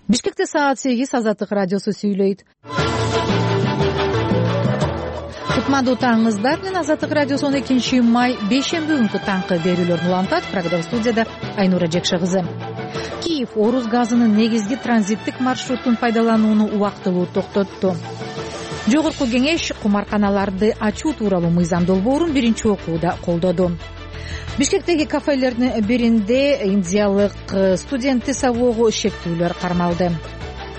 Бишкекте саат 8 Азаттык радиосу сүйлөйт. Кутмандуу таңыңыздар менен Азаттык радиосу 12 май бейшемби күнкү таңкы берүүлөрүн улантат. Программа студияда Айнура Жекше кызы. Киев орус газынын негизги транзиттик маршрутун пайдаланууну убактылуу токтотту. Жогорку кеңеш кумарканаларды ачуу тууралуу мыйзам долбоорун биринчи окууда колдоду. Бишкектеги кафелердин биринде индиялык студентти сабоого шектүүлөр кармалды.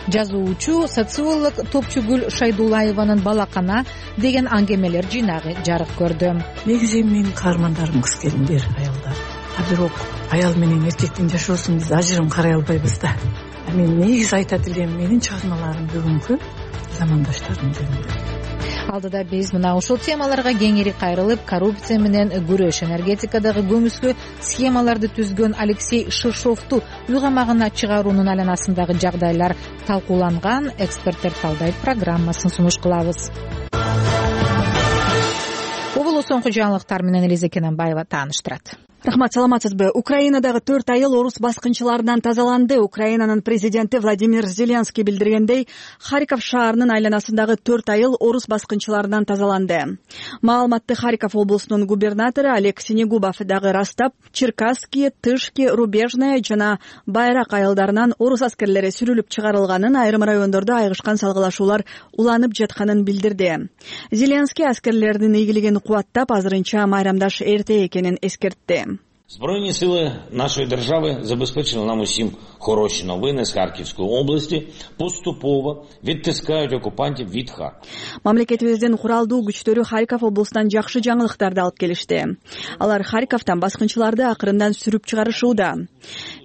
Жазуучу, социолог Топчугүл Шайдулаеванын «Балакана» деген аңгемелер жыйнагы жарык көрдү. Негизи менин каармандарым кыз келиндер, аялдар. Бирок аял менен эркектин жашоосун биз ажырым карай албайбыз да. Мен негизи айтат элем, менин чыгармаларым бүгүнкү замандаштардын жөнүндө. Алдыда биз мына ушул темаларга кеңири кайрылып, коррупция менен күрөш, энергетикадагы көмүскө схемаларды түзгөн Алексей Шишовду үй камагына чыгаруунун айланасындагы жагдайлар талкууланган. Эксперттер талдайт программасын сунуш кылабыз. Оболу соңку жаңылыктар менен Элиза Кененбаева тааныштырат. Рахмат, саламатсызбы? Украинадагы 4 айыл орус баскынчыларынан тазаланды. Украинанын президенти Владимир Зеленский билдиргендей, Харьков шаарынын айланасындагы 4 айыл орус баскынчыларынан тазаланды. Маалыматты Харьков облусунун губернатору Олег Синегубов дагы растап, Черкасский, Тышки, Рубежная жана Байрак айылдарынан орус аскерлери сүрүлүп чыгарылганын, айрым райондордо айгышкан салгылашуулар уланып жатканын билдирди. Зеленский аскерлердин ийгилигин кубаттап, азырынча майрамдаш эрте экенин эскертти. Збройні сили нашої держави забезпечили нам усім хороші новини з Харківської області, поступово відтискають окупантів від Харкова. Мамлекетибиздин куралдуу күчтөрү Харьков облусунан жакшы жаңылыктарды алып келишти. Алар Харьковтан баскынчыларды акырындан сүрүп чыгарышууда.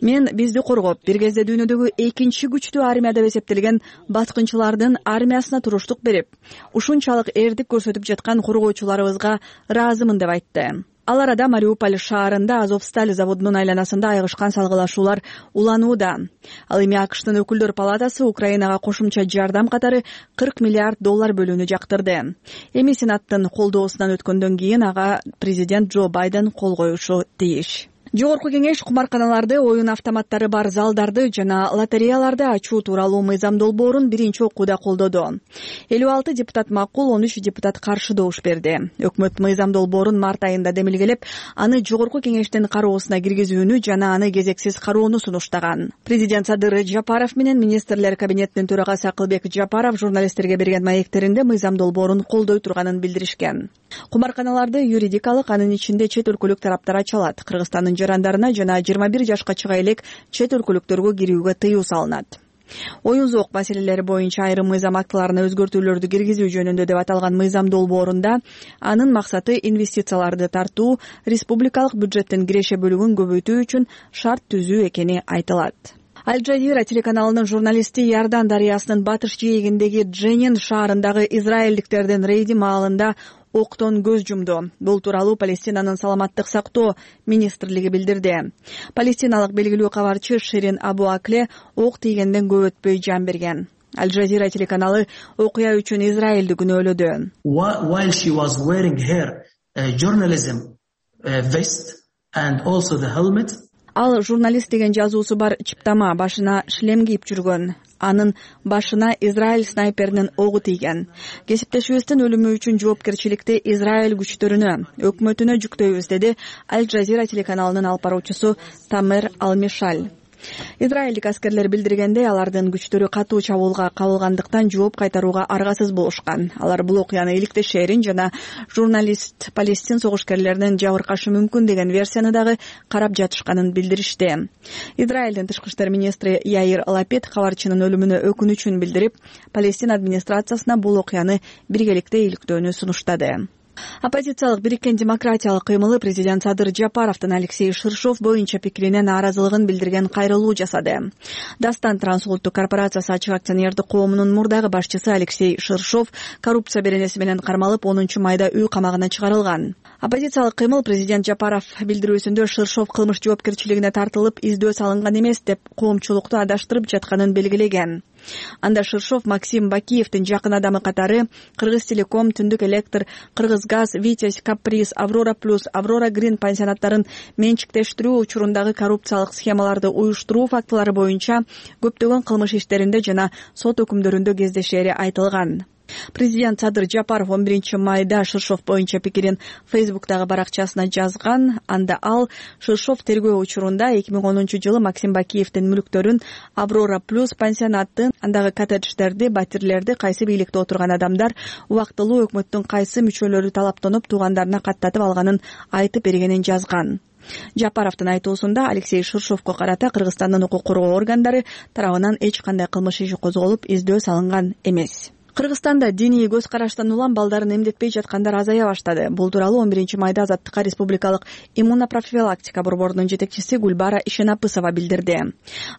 Мен бизди коргоп, бир кезде дүйнөдөгү экинчи күчтүү армия деп эсептелген баскынчылардын армиясына туруштук берип, ушунчалык эрдик көрсөтүп жаткан коргоочуларыбызга ыраазымын деп айтты. Ал арада Мариуполь шаарында Азовсталь заводунун айланасында айгышкан салгылашуулар уланууда. Ал эми АКШтын өкүлдөр палатасы Украинага кошумча жардам катары $40 миллиард бөлүүнү жактырды. Эми Сенаттын колдоосунан өткөндөн кийин ага президент Джо Байден кол коюшу тийиш. Жогорку кеңеш кумарканаларды, оюн автоматтары бар залдарды жана лотереяларды ачуу тууралуу мыйзам долбоорун биринчи окууда колдоду. 56 депутат макул, 13 депутат каршы добуш берди. Өкмөт мыйзам долбоорун март айында демилгелеп, аны жогорку кеңештин кароосуна киргизүүнү жана аны кезексиз кароону сунуштаган. Президент Садыр Жапаров менен министрлер кабинетинин төрагасы Акылбек Жапаров журналисттерге берген маектеринде мыйзам долбоорун колдой турганын билдиришкен. Кумарканаларды юридикалык, анын ичинде чет өлкөлүк тараптар ача алат. Кыргызстандын жарандарына жана 21 жашка чыга элек чет өлкөлүктөргө кирүүгө тыюу салынат. Оюн зоок маселелери боюнча айрым мыйзам актыларына өзгөртүүлөрдү киргизүү жөнүндө деп аталган мыйзам долбоорунда анын максаты инвестицияларды тартуу, республикалык бюджеттин киреше бөлүгүн көбөйтүү үчүн шарт түзүү экени айтылат. Аль-Джазира телеканалынын журналисти Иордан дарыясынын батыш жээгиндеги Дженин шаарындагы израилдиктердин рейди маалында октон көз жумду. Бул тууралуу Палестинанын саламаттык сактоо министрлиги билдирди. Палестиналык белгилүү кабарчы Ширин Абу Акле ок тийгенден көп өтпөй жан берген. Аль-Джазира телеканалы окуя үчүн Израилди күнөөлөдү. While she was wearing her journalism vest and also the helmet, Ал журналист деген жазуусу бар чыптама, башына шлем кийип жүргөн. Анын башына Израиль снайперинин огу тийген. Кесиптешибиздин өлүмү үчүн жоопкерчиликти Израиль күчтөрүнө, өкмөтүнө жүктөйбүз, деди Аль-Джазира телеканалынын алып баруучусу Тамер Алмишаль. Израилдик аскерлер билдиргендей, алардын күчтөрү катуу чабуулга кабылгандыктан жооп кайтарууга аргасыз болушкан. Алар бул окуяны иликтешерин жана журналист Палестин согушкерлеринин жабыркашы мүмкүн деген версияны дагы карап жатышканын билдиришти. Израилдин тышкы иштер министри Яир Лапид кабарчынын өлүмүнө өкүнүчүн билдирип, Палестин администрациясына бул окуяны биргеликте иликтөөнү сунуштады. Оппозициялык бириккен демократиялык кыймылы президент Садыр Жапаровдун Алексей Шишов боюнча пикирине нааразылыгын билдирген кайрылуу жасады. Дастан трансулуттук корпорациясы ачык акционердик коомунун мурдагы башчысы Алексей Шишов коррупция беренеси менен кармалып 10 майда үй камагына чыгарылган. Оппозициялык кыймыл президент Жапаров билдирүүсүндө Шишов кылмыш жоопкерчилигине тартылып, издөө салынган эмес деп коомчулукту адаштырып жатканын белгилеген. Анда Ширшов Максим Бакиевдин жакын адамы катары Кыргыз Телеком, Түндүк Электр, Кыргыз Газ, Витязь, Каприз, Аврора Плюс, Аврора Грин пансионаттарын менчиктештирүү учурундагы коррупциялык схемаларды уюштуруу фактылары боюнча көптөгөн кылмыш иштеринде жана сот өкүмдөрүндө кездешери айтылган. Президент Садыр Жапаров 11 майда Ширшов боюнча пикирин Фейсбуктагы баракчасына жазган. Анда ал Ширшов тергөө учурунда 2010-жылы Максим Бакиевдин мүлктөрүн Аврора Плюс пансионаты, андагы коттедждерди, батирлерди кайсы бийликте отурган адамдар убактылуу өкмөттүн кайсы мүчөлөрү талаптанып туугандарына каттатып алганын айтып бергенин жазган. Жапаровдун айтуусунда Алексей Ширшовго карата Кыргызстандын укук коргоо органдары тарабынан эч кандай кылмыш иши козголуп, издөө салынган эмес. Кыргызстанда диний көз караштан улам балдарын эмдетпей жаткандар азая баштады. Бул тууралуу 11 майда Азаттыкка Республикалык иммунопрофилактика борборунун жетекчиси Гүлбара Ишенапысова билдирди.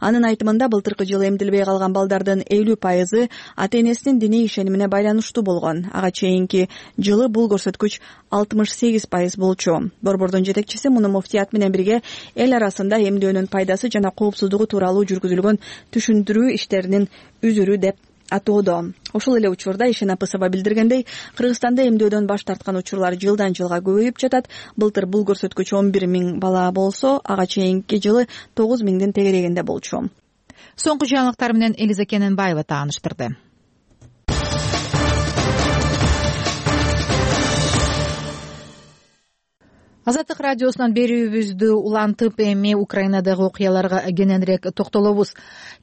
Анын айтымында былтыркы жылы эмдилбей калган балдардын 50% ата-энесинин диний ишенимине байланыштуу болгон. Ага чейинки жылы бул көрсөткүч 68% болчу. Борбордун жетекчиси муну муфтият менен бирге эл арасында эмдөөнүн пайдасы жана коопсуздугу тууралуу жүргүзүлгөн түшүндүрүү иштеринин үзүрү деп атоодо. Ошол эле учурда Ишенапысова билдиргендей, Кыргызстанда эмдөөдөн баш тарткан учурлар жылдан жылга көбөйүп жатат. Былтыр бул көрсөткүч 11 000 бала болсо, ага чейинки жылы 9 000дин тегерегинде болчу. Соңку жаңылыктар менен Элиза Кененбаева тааныштырды. Азаттык радиосунан берүүбүздү улантып, эми Украинадагы окуяларга кененирээк токтолобуз.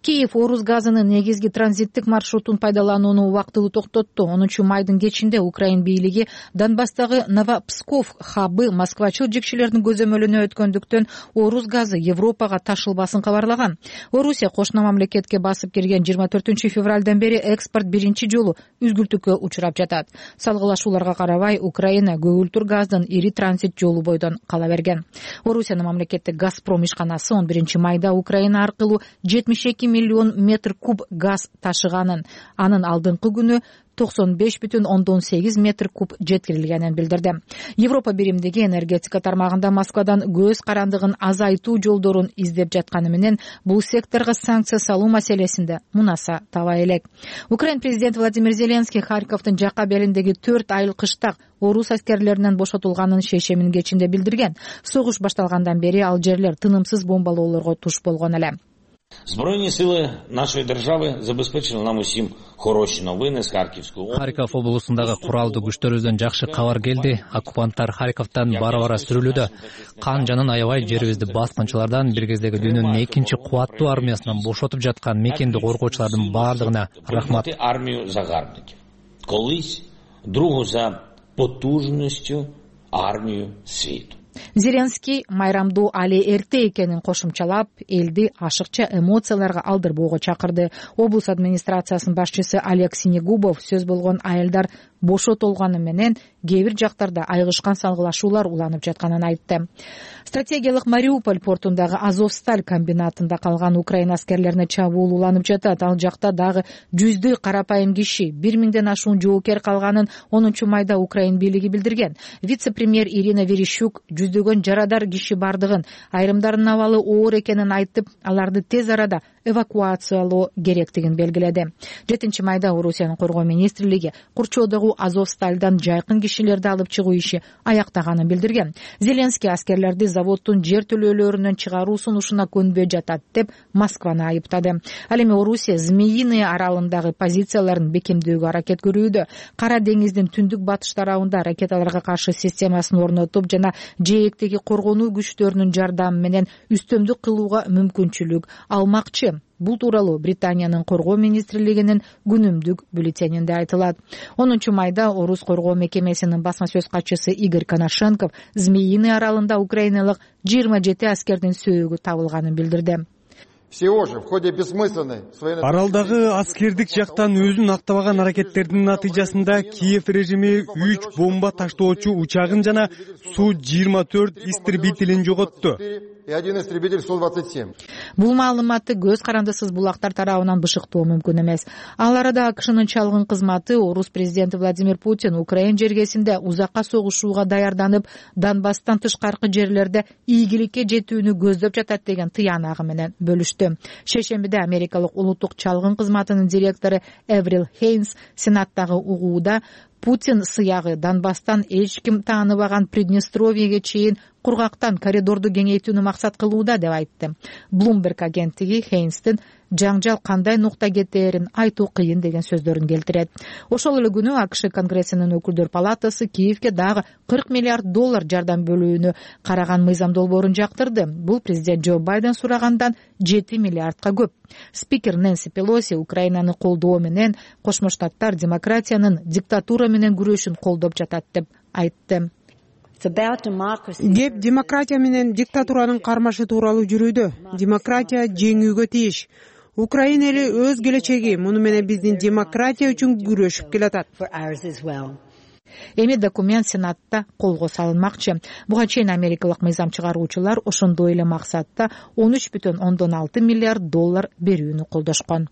Киев орус газынын негизги транзиттик маршрутун пайдаланууну убактылуу токтотту. 10 майдын кечинде Украин бийлиги Донбасстагы Новопсков хабы москвачыл жекчилердин көзөмөлүнө өткөндүктөн орус газы Европага ташылбасын кабарлаган. Орусия кошуна мамлекетке басып кирген 24 февралдан бери экспорт биринчи жолу үзгүлтүккө учурап жатат. Салгылашууларга карабай, Украина көгүлтүр газдын ири транзит жолу бойдон кала берген. Орусиянын мамлекеттик Газпром ишканасы 11 майда Украина аркылуу 72 миллион метр куб газ ташыганын, анын алдыңкы күнү 95,8 метр куб жеткирилгенин билдирди. Европа биримдиги энергетика тармагында Москвадан көз карандыгын азайтуу жолдорун издеп жатканы менен бул секторго санкция салуу маселесинде мунаса таба элек. Украин президенти Владимир Зеленский Харьковдун жакка белиндеги 4 айыл кыштак орус аскерлеринен бошотулганын шейшемин кечинде билдирген. Согуш башталгандан бери ал жерлер тынымсыз бомбалоолорго туш болгон эле. Збройні сили нашої держави забезпечили нам усім хороші новини з Харківської області. Харьков облусундагы куралдуу күчтөрүбүздөн жакшы кабар келди. Оккупанттар Харьковдон бара-бара сүрүлүүдө. Кан жанын аябай жерибизди баскынчылардан бир кездеги дүйнөнүн экинчи кубаттуу армиясынан бошотуп жаткан мекенди коргоочулардын баардыгына рахмат. Армію загарбників. Колись другу за потужністю армію світу. Зеленский майрамдуу али эрте экенин кошумчалап, элди ашыкча эмоцияларга алдырбоого чакырды. Облус администрациясынын башчысы Олег Синегубов сөз болгон айылдар бошотулганы менен кээ бир жактарда айгышкан салгылашуулар уланып жатканын айтты. Стратегиялык Мариуполь портундагы Азовсталь комбинатында калган Украина аскерлерине чабуул уланып жатат. Ал жакта дагы жүздөй карапайым киши, 1000ден ашуун жоокер калганын 10 майда Украин бийлиги билдирген. Вице-премьер Ирина Верещук жүздөгөн жарадар киши бардыгын, айрымдарынын абалы оор экенин айтып, аларды тез арада эвакуациялоо керектигин белгиледи. 7 майда Орусиянын коргоо министрлиги курчоодогу Азовстальдан жайкын кишилерди алып чыгуу иши аяктаганын билдирген. Зеленский аскерлерди заводдун жер төлөөлөрүнөн чыгаруу сунушуна көнбөй жатат деп Москваны айыптады. Ал эми Орусия Змеиный аралындагы позицияларын бекемдөөгө аракет көрүүдө. Кара деңиздин түндүк батыш тарабында ракеталарга каршы системасын орнотуп жана жээктеги коргонуу күчтөрүнүн жардамы менен үстөмдүк кылууга мүмкүнчүлүк алмакчы. Бул тууралуу Британиянын коргоо министрлигинин күнүмдүк бюллетенинде айтылат. 10 майда Орус коргоо мекемесинин басма сөз катчысы Игорь Коношенков Змеиный аралында украиналык 27 аскердин сөөгү табылганын билдирди. Аралдагы аскердик жактан өзүн актабаган аракеттердин натыйжасында Киев режими 3 бомба таштоочу учагын жана Су-24 истребителин жоготту. и 1 истребитель Су-27. Бул маалыматты көз карандысыз булактар тарабынан бышыктоо мүмкүн эмес. Ал арада АКШнын чалгын кызматы орус президенти Владимир Путин Украин жергесинде узакка согушууга даярданып, Донбасстан тышкаркы жерлерде ийгиликке жетүүнү көздөп жатат деген тыянагы менен бөлүштү. Шейшембиде америкалык улуттук чалгын кызматынын директору Эврил Хейнс сенаттагы угууда Путин сыягы Донбасстан эч ким тааныбаган Приднестровьеге чейин кургактан коридорду кеңейтүүнү максат кылууда деп айтты. Bloomberg агенттиги Хейнстин жаңжал кандай нукта кетээрин айтуу кыйын деген сөздөрүн келтирет. Ошол эле күнү АКШ Конгрессинин өкүлдөр палатасы Киевке дагы $40 миллиард жардам бөлүүнү караган мыйзам долбоорун жактырды. Бул президент Джо Байден сурагандан $7 миллиардка көп. Спикер Нэнси Пелоси Украинаны колдоо менен Кошмо Штаттар демократиянын диктатура менен күрөшүн колдоп жатат деп айтты. Кеп демократия менен диктатуранын кармашы тууралуу жүрүүдө. Демократия жеңүүгө тийиш. Украина эли өз келечеги, муну менен биздин демократия үчүн күрөшүп келатат. Эми документ Сенатта колго салынмакчы. Буга чейин америкалык мыйзам чыгаруучулар ошондой эле максатта $13,6 миллиард берүүнү колдошкон.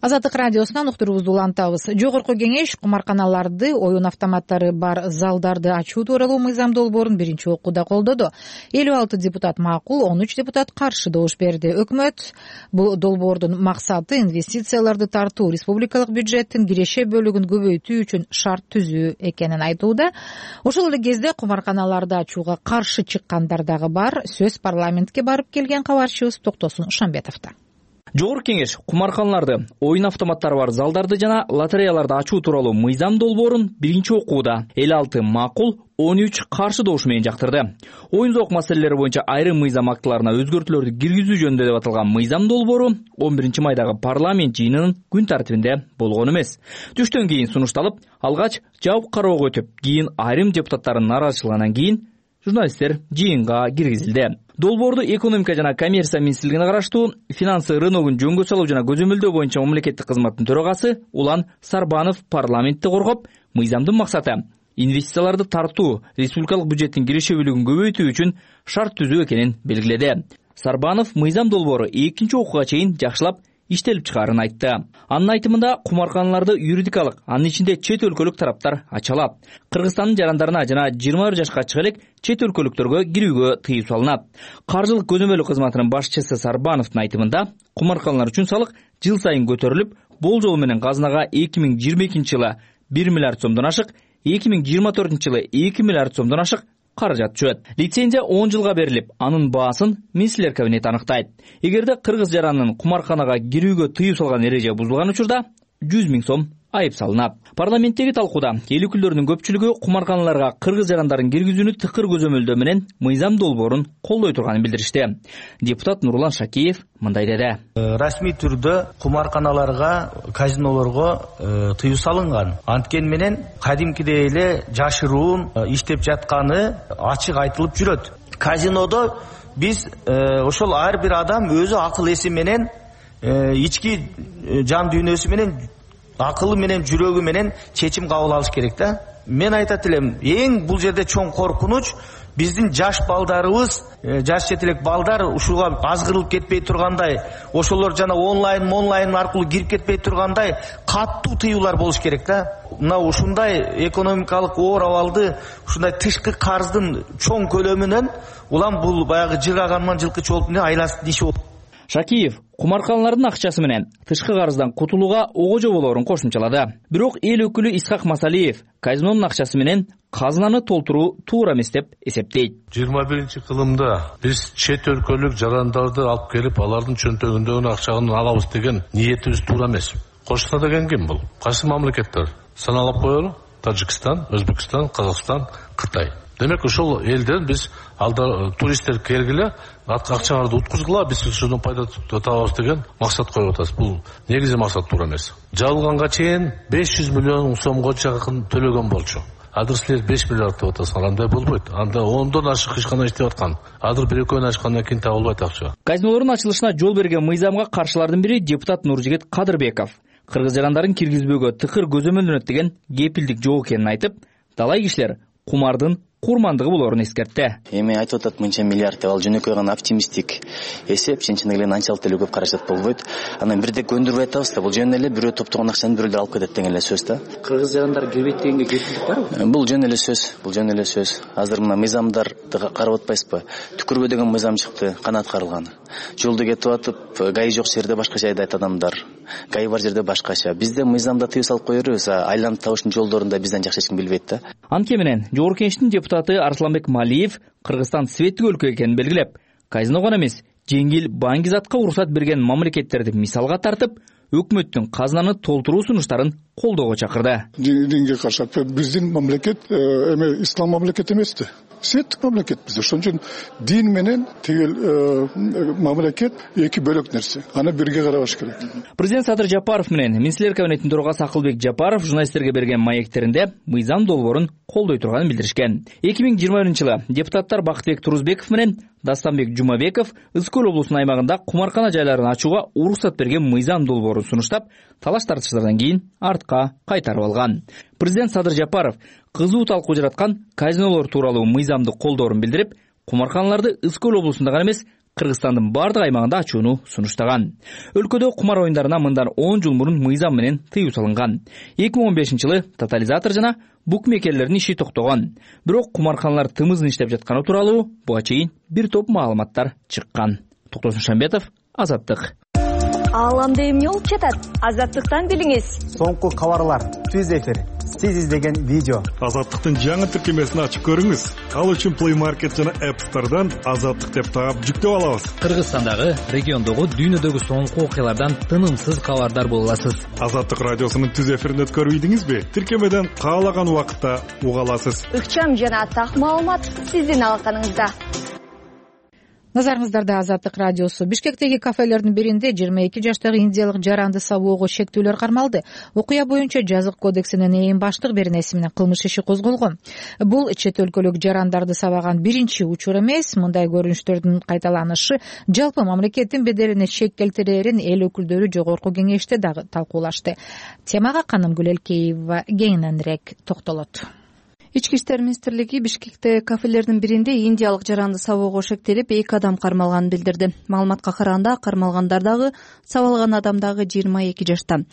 Азаттык радиосунан уктуруубузду улантабыз. Жогорку кеңеш кумарканаларды, оюн автоматтары бар залдарды ачуу тууралуу мыйзам долбоорун биринчи окууда колдоду. 56 депутат макул, 13 депутат каршы добуш берди. Өкмөт бул долбоордун максаты инвестицияларды тартуу, республикалык бюджеттин киреше бөлүгүн көбөйтүү үчүн шарт түзүү экенин айтууда. Ошол эле кезде кумарканаларды ачууга каршы чыккандар дагы бар. Сөз парламентке барып келген кабарчыбыз Токтосун Шамбетовдо. Жогорку кеңеш кумарканаларды, оюн автоматтары бар залдарды жана лотереяларды ачуу тууралуу мыйзам долбоорун биринчи окууда 56 макул, 13 каршы добуш менен жактырды. Оюн-зоок маселелери боюнча айрым мыйзам актыларына өзгөртүүлөрдү киргизүү жөнүндө деп аталган мыйзам долбоору 11 майдагы парламент жыйынынын күн тартибинде болгон эмес. Түштөн кийин сунушталып, алгач жабык кароого өтүп, кийин айрым депутаттардын нааразычылыгынан кийин журналисттер жыйынга киргизилди. Долбоорду экономика жана коммерция министрлигине караштуу финансы рыногун жөнгө салуу жана көзөмөлдөө боюнча мамлекеттик кызматтын төрагасы Улан Сарбанов парламентте коргоп, мыйзамдын максаты инвестицияларды тартуу, республикалык бюджеттин киреше бөлүгүн көбөйтүү үчүн шарт түзүү экенин белгиледи. Сарбанов мыйзам долбоору экинчи окууга чейин жакшылап иштелип чыгаарын айтты. Анын айтымында кумарканаларды юридикалык, анын ичинде чет өлкөлүк тараптар ача алат. Кыргызстандын жарандарына жана 21 жашка чыга элек чет өлкөлүктөргө кирүүгө тыюу салынат. Каржылык көзөмөлү кызматынын башчысы Сарбановдун айтымында кумарканалар үчүн салык жыл сайын көтөрүлүп, болжол менен казынага 2022 жылы 1 миллиард сомдон ашык, 2024 жылы 2 миллиард сомдон ашык каражат түшөт. Лицензия 10 жылга берилип, анын баасын министрлер кабинети аныктайт. Эгерде кыргыз жаранынын кумарканага кирүүгө тыюу салган эреже бузулган учурда 100 000 сом айып салынат. Парламенттеги талкууда эл өкүлдөрүнүн көпчүлүгү кумарканаларга кыргыз жарандарын киргизүүнү тыкыр көзөмөлдөө менен мыйзам долбоорун колдой турганын билдиришти. Депутат Нурлан Шакиев мындай деди. Расмий түрдө кумарканаларга, казинолорго тыюу салынган. Анткени менен кадимкидей эле жашыруун иштеп жатканы ачык айтылып жүрөт. Казинодо биз ошол ар бир адам өзү акыл эси менен, ички жан дүйнөсү менен, акылы менен, жүрөгү менен чечим кабыл алыш керек да. Мен айтат элем, эң бул жерде чоң коркунуч биздин жаш балдарыбыз, жаш четелек балдар ушуга азгырылып кетпей тургандай, ошолор жана онлайн аркылуу кирип кетпей тургандай каттуу тыюулар болуш керек да. Мына ушундай экономикалык оор абалды, ушундай тышкы карздын чоң көлөмүнөн улам бул баягы жыраганман жылкычы болуп айласын иши болуп. Шакиев кумарканалардын акчасы менен тышкы карыздан кутулууга огожо болоорун кошумчалады. Бирок эл өкүлү Исхак Масалиев казинонун акчасы менен казынаны толтуруу туура эмес деп эсептейт. 21-кылымда биз чет өлкөлүк жарандарды алып келип, алардын чөнтөгүндөгү акчаны алабыз деген ниетибиз туура эмес. Кошуна деген ким бул? Кайсы мамлекеттер? Саналып коелу: Тажикстан, Өзбекстан, Казакстан, Кытай. Демек ошол элден биз алда туристтер келгиле, акчаларды уткузгула, биз ушунун пайда табабыз деген максат коюп атабыз. Бул негизи максат туура эмес. Жабылганга чейин 500 миллион сомго жакын төлөгөн болчу. Азыр силер 5 миллиард деп атасыңар, андай болбойт. Анда 10дон ашык эч кандай иштеп аткан. Азыр бир-экөөнү ачкандан кийин табылбайт акча. Казинолордун ачылышына жол берген мыйзамга каршылардын бири депутат Нуржигит Кадырбеков. кыргыз жарандарын киргизбөөгө тыкыр көзөмөлдөнөт деген кепилдик жок экенин айтып, талай кишилер кумардын курмандыгы болоорун эскертти. Эми айтып атат мынча миллиард деп, ал жөнөкөй гана оптимисттик эсеп, чынчылык эле анчалык деле көп каражат болбойт. Анан бирдек көндүрүп айтабыз да, бул жөн эле бирөө топтогон акчаны бирөөлөр алып кетет деген эле сөз да. Кыргыз жарандар кирбейт дегенге кепилдик барбы? Бул жөн эле сөз, Азыр мына мыйзамдарды карап атпайсызбы? Түкүрбө деген мыйзам чыкты, канат карылган. Жолду кетип атып, гаи жок жерде башкача айдайт адамдар. Гаи бар жерде башкача. Бизде мыйзамда тыюу салып кое беребиз, айланып табыштын жолдорун да бизден жакшы эч ким билбейт да. Анткени менен Жогорку Кеңештин депутаты Арсланбек Малиев Кыргызстан светтик өлкө экенин белгилеп, казино гана эмес, жеңил баңгизатка уруксат берген мамлекеттерди мисалга тартып, өкмөттүн казынаны толтуруу сунуштарын колдоого чакырды. Динге каршы биздин мамлекет эме ислам мамлекети эмес-ти. Светтик мамлекет биз. Ошон үчүн дин менен тигил мамлекет эки бөлөк нерсе. Аны бирге карабаш керек. Президент Садыр Жапаров менен Министрлер кабинетинин төрагасы Акылбек Жапаров журналисттерге берген маектеринде мыйзам долбоорун колдой турганын билдиришкен. 2021-жылы депутаттар Бактыбек Турузбеков менен Дастанбек Жумабеков Ызкөл облусунун аймагында кумаркана жайларын ачууга уруксат берген мыйзам долбоорун сунуштап, талаш тартыштардан кийин артка кайтарып алган. Президент Садыр Жапаров кызуу талкуу жараткан казинолор тууралуу мыйзамды колдоорун билдирип, кумарканаларды Ызкөл облусунда гана эмес, Кыргызстандын бардык аймагында ачууну сунуштаган. Өлкөдө кумар оюндарына мындан 10 жыл мурун мыйзам менен тыюу салынган. 2015-жылы тотализатор жана букмекерлердин иши токтогон. Бирок кумарканалар тымызын иштеп жатканы тууралуу буга чейин бир топ маалыматтар чыккан. Токтосун Шамбетов, Азаттык. Ааламда эмне болуп жатат? Азаттыктан билиңиз. Соңку кабарлар, түз эфир, сиз издеген видео. Азаттыктын жаңы тиркемесин ачып көрүңүз. Ал үчүн Play Market жана App Store'дан Азаттык деп таап жүктөп алабыз. Кыргызстандагы, региондогу, дүйнөдөгү соңку окуялардан тынымсыз кабардар боло аласыз. Азаттык радиосунун түз эфирин өткөрүп ийдиңизби? Тиркемеден каалаган убакытта уга аласыз. Ыкчам жана так маалымат сиздин алаканыңызда. Назарыңыздарда Азаттык радиосу. Бишкектеги кафелердин биринде 22 жаштагы индиялык жаранды сабоого шектүүлөр кармалды. Окуя боюнча жазык кодексинин эң баштык беренеси менен кылмыш иши козголгон. Бул чет өлкөлүк жарандарды сабаган биринчи учур эмес. Мындай көрүнүштөрдүн кайталанышы жалпы мамлекеттин беделине шек келтирерин эл өкүлдөрү Жогорку Кеңеште дагы талкуулашты. Темага Канымгүл Элкеева кеңиненирээк токтолот. Ички иштер министрлиги Бишкектеги кафелердин биринде индиялык жаранды сабоого шектелип 2 адам кармалганын билдирди. Маалыматка караганда кармалгандар дагы сабалган адам дагы 22 жашта.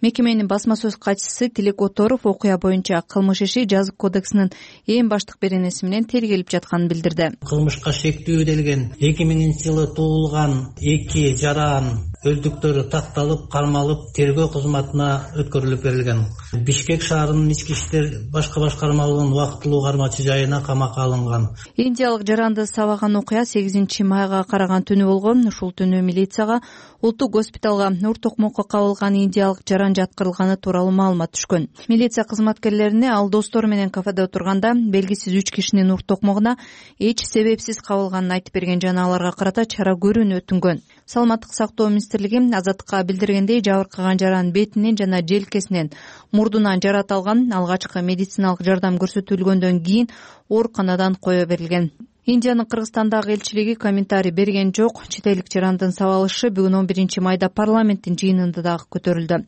Мекеменин басма сөз катчысы Тилек Оторов окуя боюнча кылмыш иши жазык кодексинин эң баштык беренеси менен тергелип жатканын билдирди. Кылмышка шектүүделген 2000-жылы туулган 2 жаран өздүктөрү такталып, кармалып, тергөө кызматына өткөрүлүп берилген. Бишкек шаарынын ички иштер башка башкармалыгынын убактылуу кармачы жайына камакка алынган. Индиялык жаранды сабаган окуя 8 майга караган түнү болгон. Ушул түнү милицияга улуттук госпиталга Нур Токмокко кабылган индиялык жаран жаткырылганы тууралуу маалымат түшкөн. Милиция кызматкерлерине ал достору менен кафеде отурганда белгисиз 3 кишинин Нур Токмогуна эч себепсиз кабылганын айтып берген жана аларга карата чара көрүүнү өтүнгөн. Саламаттык сактоо министрлиги Азаттыкка билдиргендей, жабыркаган жаран бетинен жана желкесинен, мурдунан жарат алган. Алгачкы медициналык жардам көрсөтүлгөндөн кийин ооруканадан кое берилген. Индиянын Кыргызстандагы элчилиги комментарий берген жок. Чет элдик жарандын сабалышы бүгүн 11 майда парламенттин жыйынында дагы көтөрүлдү.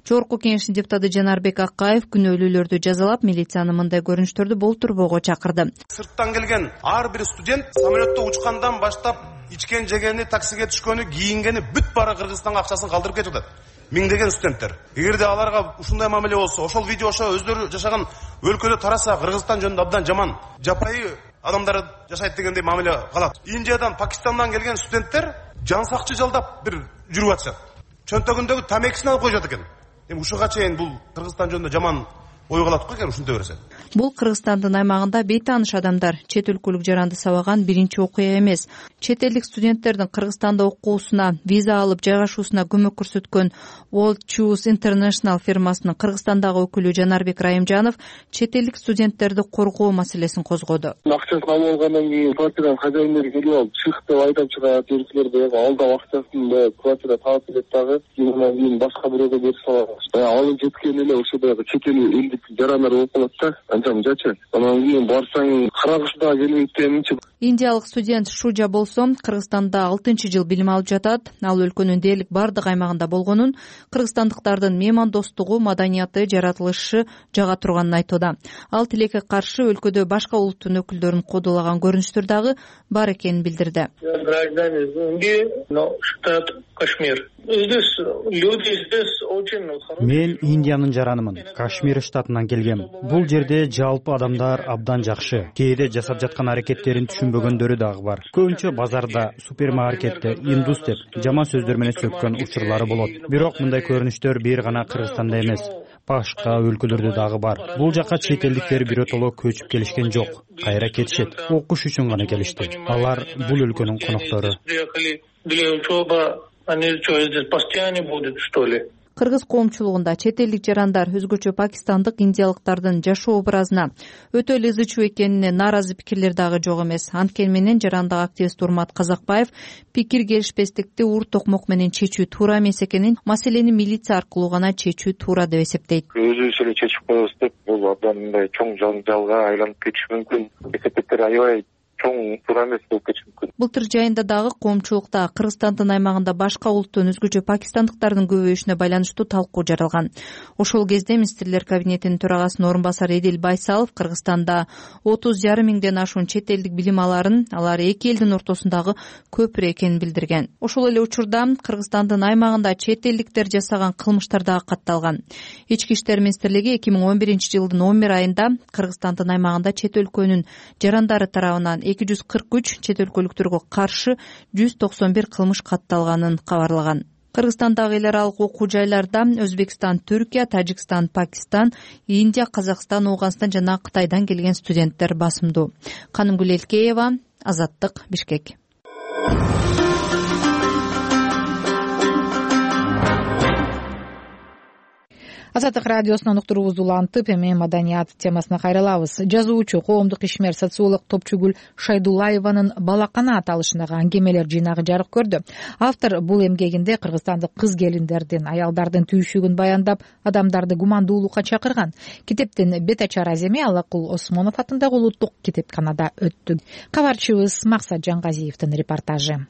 Жогорку Кеңештин депутаты Жанарбек Акаев күнөөлүүлөрдү жазалап, милицияны мындай көрүнүштөрдү болтурбоого чакырды. Сырттан келген ар бир студент самолетто учкандан баштап ичкен жегени, таксиге түшкөнү, кийингени бүт бара Кыргызстанга акчасын калтырып кетип атат. Миңдеген студенттер. Эгерде аларга ушундай мамиле болсо, ошол видео ошо өздөрү жашаган өлкөдө тараса, Кыргызстан жөнүндө абдан жаман, жапайы адамдар жашайт дегендей мамиле калат. Индиядан, Пакистандан келген студенттер жан сакчы жалдап бир жүрүп атышат. Чөнтөгүндөгү тамекисин алып коюшат экен. Эми ушуга чейин бул Кыргызстан жөнүндө жаман ой калат го, эгер ушундай берсе. Бул Кыргызстандын аймагында бейтааныш адамдар чет өлкөлүк жаранды сабаган биринчи окуя эмес. Чет элдик студенттердин Кыргызстанда окуусуна, виза алып жайгашуусуна көмөк көрсөткөн World Choose International фирмасынын Кыргызстандагы өкүлү Жанарбек Райымжанов чет элдик студенттерди коргоо маселесин козгоду. Акчасын алып алгандан кийин квартиранын хозяиндери келип алып, чык деп айдап чыгат, эркелерди алдап акчасын квартира таап берет дагы, андан кийин башка бирөөгө берип салат. Алып жеткен эле ошо дагы чет элдик жарандар болуп калат да, анча мынчачы. Анан кийин барсаң карагыш дагы келбейт деминчи. Индиялык студент Шужа болсо Кыргызстанда 6-жыл билим алып жатат. Ал өлкөнүн дээрлик бардык аймагында болгонун, кыргызстандыктардын меймандостугу, маданияты, жаратылышы жага турганын айтууда. Ал тилекке каршы өлкөдө башка улуттун өкүлдөрүн кодолаган көрүнүштөр дагы бар экенин билдирди. Мен Индиянын жаранымын. Кашмир штатынан келгем. Бул жерде жалпы адамдар абдан жакшы. Кээде жасап жаткан аракеттерин түшүнбөгөндөрү дагы бар. Көбүнчө базарда, супермаркетте индус деп жаман сөздөр менен сөккөн учурлары болот. Бирок мындай көрүнүштөр бир гана Кыргызстанда эмес, башка өлкөлөрдө дагы бар. Бул жака чет элдиктер биротоло көчүп келишкен жок. Кайра кетишет. Окуш үчүн гана келишти. Алар бул өлкөнүн коноктору. Кыргыз коомчулугунда чет элдик жарандар өзгөчө пакистандык, индиялыктардын жашоо образына өтө эле ызы чуу экенине нааразы пикирлер дагы жок эмес. Анткени менен жарандык активист Урмат Казакбаев пикир келишпестикти ур токмок менен чечүү туура эмес экенин, маселени милиция аркылуу гана чечүү туура деп эсептейт. Өзүбүз эле чечип коебуз деп бул абдан мындай чоң жаңжалга айланып кетиши мүмкүн. Эсептектер аябай чоң туура эмес болуп кетиши мүмкүн. Былтыр жайында дагы коомчулукта Кыргызстандын аймагында башка улуттун өзгөчө пакистандыктардын көбөйүшүнө байланыштуу талкуу жаралган. Ошол кезде министрлер кабинетинин төрагасынын орун басары Эдил Байсалов Кыргызстанда 30,5 миңден ашуун чет элдик билим аларын, алар эки элдин ортосундагы көпүрө экенин билдирген. Ошол эле учурда Кыргызстандын аймагында чет элдиктер жасаган кылмыштар дагы катталган. Ички иштер министрлиги 2011-жылдын 11 айында Кыргызстандын аймагында чет өлкөнүн жарандары тарабынан 243, чет өлкөлүктөргө каршы 191 кылмыш катталганын кабарлаган. Кыргызстандагы эл аралык окуу жайларда Өзбекстан, Түркия, Тажикстан, Пакистан, Индия, Казакстан, Ооганстан жана Кытайдан келген студенттер басымдуу. Канымгүл Элкеева, Азаттык, Бишкек. Азаттык радиосунан уктуруубузду улантып, эми маданият темасына кайрылабыз. Жазуучу, коомдук ишмер, социолог Топчугүл Шайдуллаеванын Балакана аталышындагы аңгемелер жыйнагы жарык көрдү. Автор бул эмгегинде кыргызстандык кыз келиндердин, аялдардын түйшүгүн баяндап, адамдарды гумандуулукка чакырган. Китептин бет ачар аземи Аллакул Осмонов атындагы улуттук китепканада өттү. Кабарчыбыз Максат Жангазиевдин репортажы.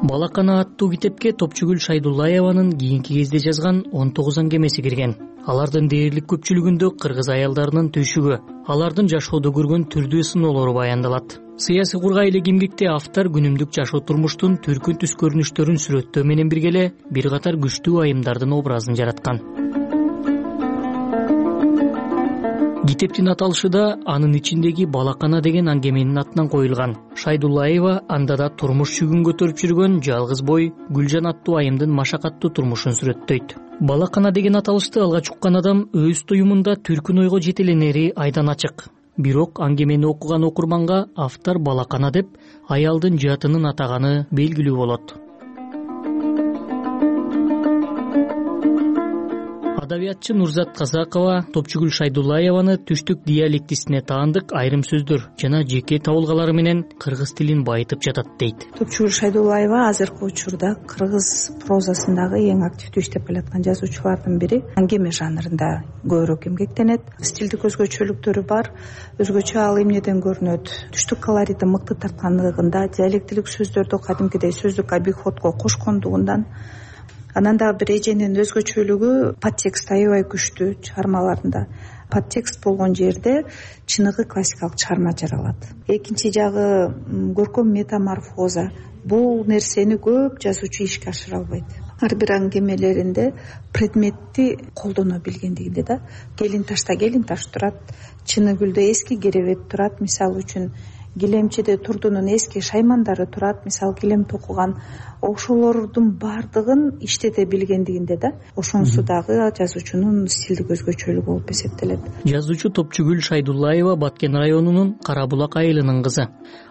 Балакана аттуу китепке Топчугүл Шайдуллаеванын кийинки кезде жазган 19 аңгемеси кирген. Алардын дээрлик көпчүлүгүндө кыргыз аялдарынын түйшүгү, алардын жашоодо көргөн түрдүү сыноолору баяндалат. Сыясий кургай элек эмгекте автор күнүмдүк жашоо турмуштун түркүн түс көрүнүштөрүн сүрөттөө менен бирге эле бир катар күчтүү айымдардын образын жараткан. Китептин аталышы да анын ичиндеги Балакана деген аңгеменин атынан коюлган. Шайдуллаева анда да турмуш жүгүн көтөрүп жүргөн жалгыз бой Гүлжан аттуу айымдын машакаттуу турмушун сүрөттөйт. Балакана деген аталышты алгач уккан адам өз туюмунда түркүн ойго жетеленери айдан ачык. Бирок аңгемени окуган окурманга автор Балакана деп аялдын жаатынын атаганы белгилүү болот. Адабиятчы Нурзат Казакова Топчугүл Шайдуллаеваны түштүк диалектисине таандык айрым сөздөр жана жеке табылгалары менен кыргыз тилин байытып жатат дейт. Топчугүл Шайдуллаева азыркы учурда кыргыз прозасындагы эң активдүү иштеп келаткан жазуучулардын бири. Аңгеме жанрында көбүрөөк эмгектенет. Стилдик өзгөчөлүктөрү бар. Өзгөчө ал эмнеден көрүнөт? Түштүк колоритти мыкты тарткандыгында, диалектилик сөздөрдү кадимкидей сөздүк обиходко кошкондугундан. Анан дагы бир эженин өзгөчөлүгү подтекст аябай күчтүү чыгармаларында. Подтекст болгон жерде чыныгы классикалык чыгарма жаралат. Экинчи жагы көркөм метаморфоза. Бул нерсени көп жазуучу ишке ашыра албайт. Ар бир аңгемелеринде предметти колдоно билгендигинде да. Келин таш турат, чыны гүлдө эски керебет турат, мисалы үчүн килемчиде турдунун эски шаймандары турат, мисалы килем токуган, ошолордун баардыгын иштете билгендигинде да, ошонусу дагы жазуучунун стилдик өзгөчөлүгү болуп эсептелет. Жазуучу Топчугүл Шайдуллаева Баткен районунун Карабулак айылынын кызы.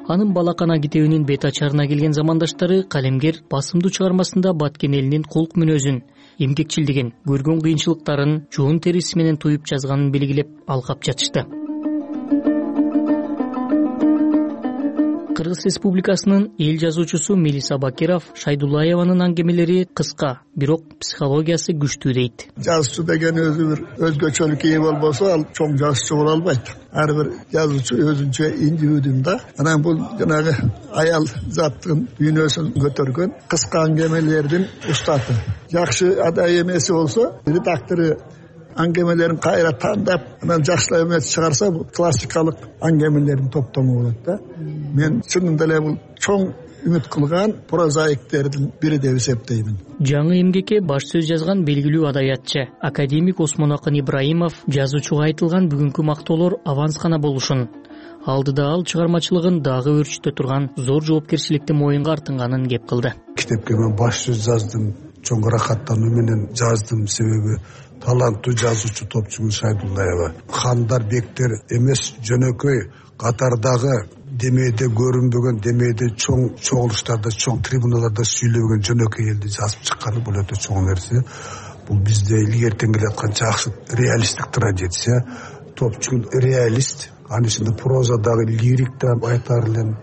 Анын Балакана китебинин бет ачарына келген замандаштары калемгер басымдуу чыгармасында Баткен элинин кулк мүнөзүн, эмгекчилдигин, көргөн кыйынчылыктарын жоон териси менен туюп жазганын белгилеп алкап жатышты. Кыргыз Республикасынын эл жазуучусу Мелиса Бакиров Шайдуллаеванын аңгемелери кыска, бирок психологиясы күчтүү дейт. Жазуучу деген өзү бир өзгөчөлүккө ээ болбосо, ал чоң жазуучу боло албайт. Ар бир жазуучу өзүнчө индивидуум да. Анан бул жанагы аял заттын дүйнөсүн көтөргөн кыска аңгемелердин устаты. Жакшы адай эмеси болсо, редактору аңгемелерин кайра тандап, анан жакшылап эмес чыгарса, бул классикалык аңгемелердин топтому болот да. Мен чынында эле бул чоң үмүт кылган прозаиктердин бири деп эсептеймин. Жаңы эмгекке баш сөз жазган белгилүү адабиятчы академик Осмонакын Ибраимов жазуучуга айтылган бүгүнкү мактоолор аванс гана болушун, алдыда ал чыгармачылыгын дагы өрчүтө турган зор жоопкерчиликти моюнга артынганын кеп кылды. Китепке мен баш сөз жаздым, чоң ырахаттануу менен жаздым, себеби таланттуу жазуучу топчугул Шайдуллаева. Хандар, бектер эмес, жөнөкөй катардагы демейде көрүнбөгөн, демейде чоң чогулуштарда, чоң трибуналарда сүйлөгөн жөнөкөй элди жазып чыкканы бул өтө чоң нерсе. Бул бизде илгертен келаткан жакшы реалисттик традиция. Топчугул реалист, анын ичинде прозадагы лирик да айтар элем.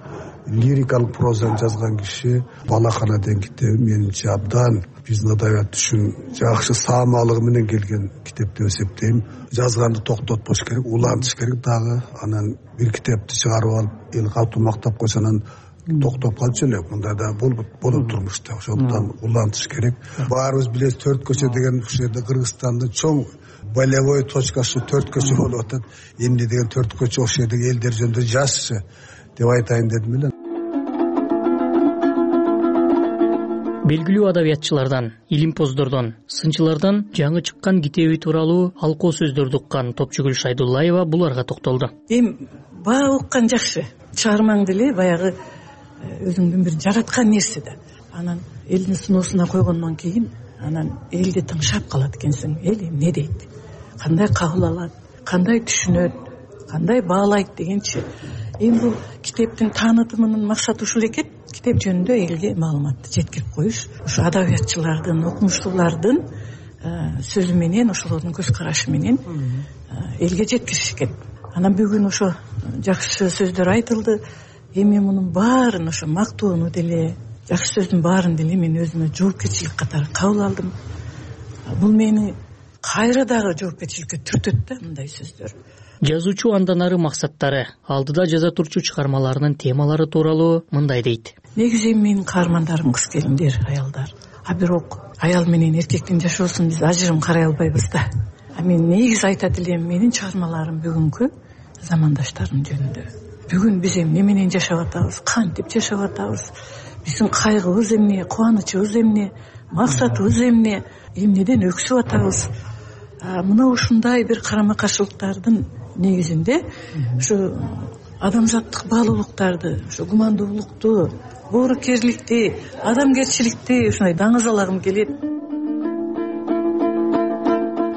Лирикалык прозаны жазган киши. Балакана деген китеби менимче абдан биздин адабият үчүн жакшы саамалыгы менен келген китеп деп эсептейм. Жазганды токтотпош керек, улантыш керек дагы. Анан бир китепти чыгарып алып, эл катуу мактап койсо, анан токтоп калчу элек. Мындай да болот турмушта. Ошондон улантыш керек. Баарыбыз билебиз, 4 көчө деген ушул жерде Кыргызстандын чоң болевой точкасы 4 көчө болуп атат. Эмне деген 4 көчө ошол жердеги элдер жөнүндө жазчы деп айтайын дедим эле. Белгилүү адабиятчылардан, илимпоздордон, сынчылардан жаңы чыккан китеби тууралуу алкоо сөздөрдү уккан Топчугул Шайдуллаева буларга токтолду. Баа уккан жакшы. Чыгармаңды эле баягы өзүңдүн бир жараткан нерсе да. Анан элдин сыноосуна койгондон кийин, анан элди тыңшап калат экенсиң. Эл эмне дейт? Кандай кабыл алат? Кандай түшүнөт? Кандай баалайт дегенчи. Эми бул китептин таанытымынын максаты ушул экен. Китеп жөнүндө элге маалыматты жеткирип коюш. Ушу адабиятчылардын, окумуштуулардын сөзү менен, ошолордун көз карашы менен элге жеткириш экен. Анан бүгүн ошо жакшы сөздөр айтылды. Эми мунун баарын, ошо мактоону деле, жакшы сөздүн баарын деле мен өзүмө жоопкерчилик катары кабыл алдым. Бул мени кайра дагы жоопкерчиликке түртөт да мындай сөздөр. Жазуучу андан ары максаттары, алдыда жаза турчу чыгармаларынын темалары тууралуу мындай дейт. Негизи менин каармандарым кыз келиндер, аялдар. А бирок аял менен эркектин жашоосун биз ажырым карай албайбыз да. Мен негизи айтат элем, менин чыгармаларым бүгүнкү замандаштарым жөнүндө. Бүгүн биз эмне менен жашап атабыз, кантип жашап атабыз, биздин кайгыбыз эмне, кубанычыбыз эмне, максатыбыз эмне, эмнеден өксүп атабыз. Мына ушундай бир карама каршылыктардын негизинде ушу адамзаттык баалуулуктарды, ушу гумандуулукту, боорукерликти, адамгерчиликти ушундай даңазалагым келет.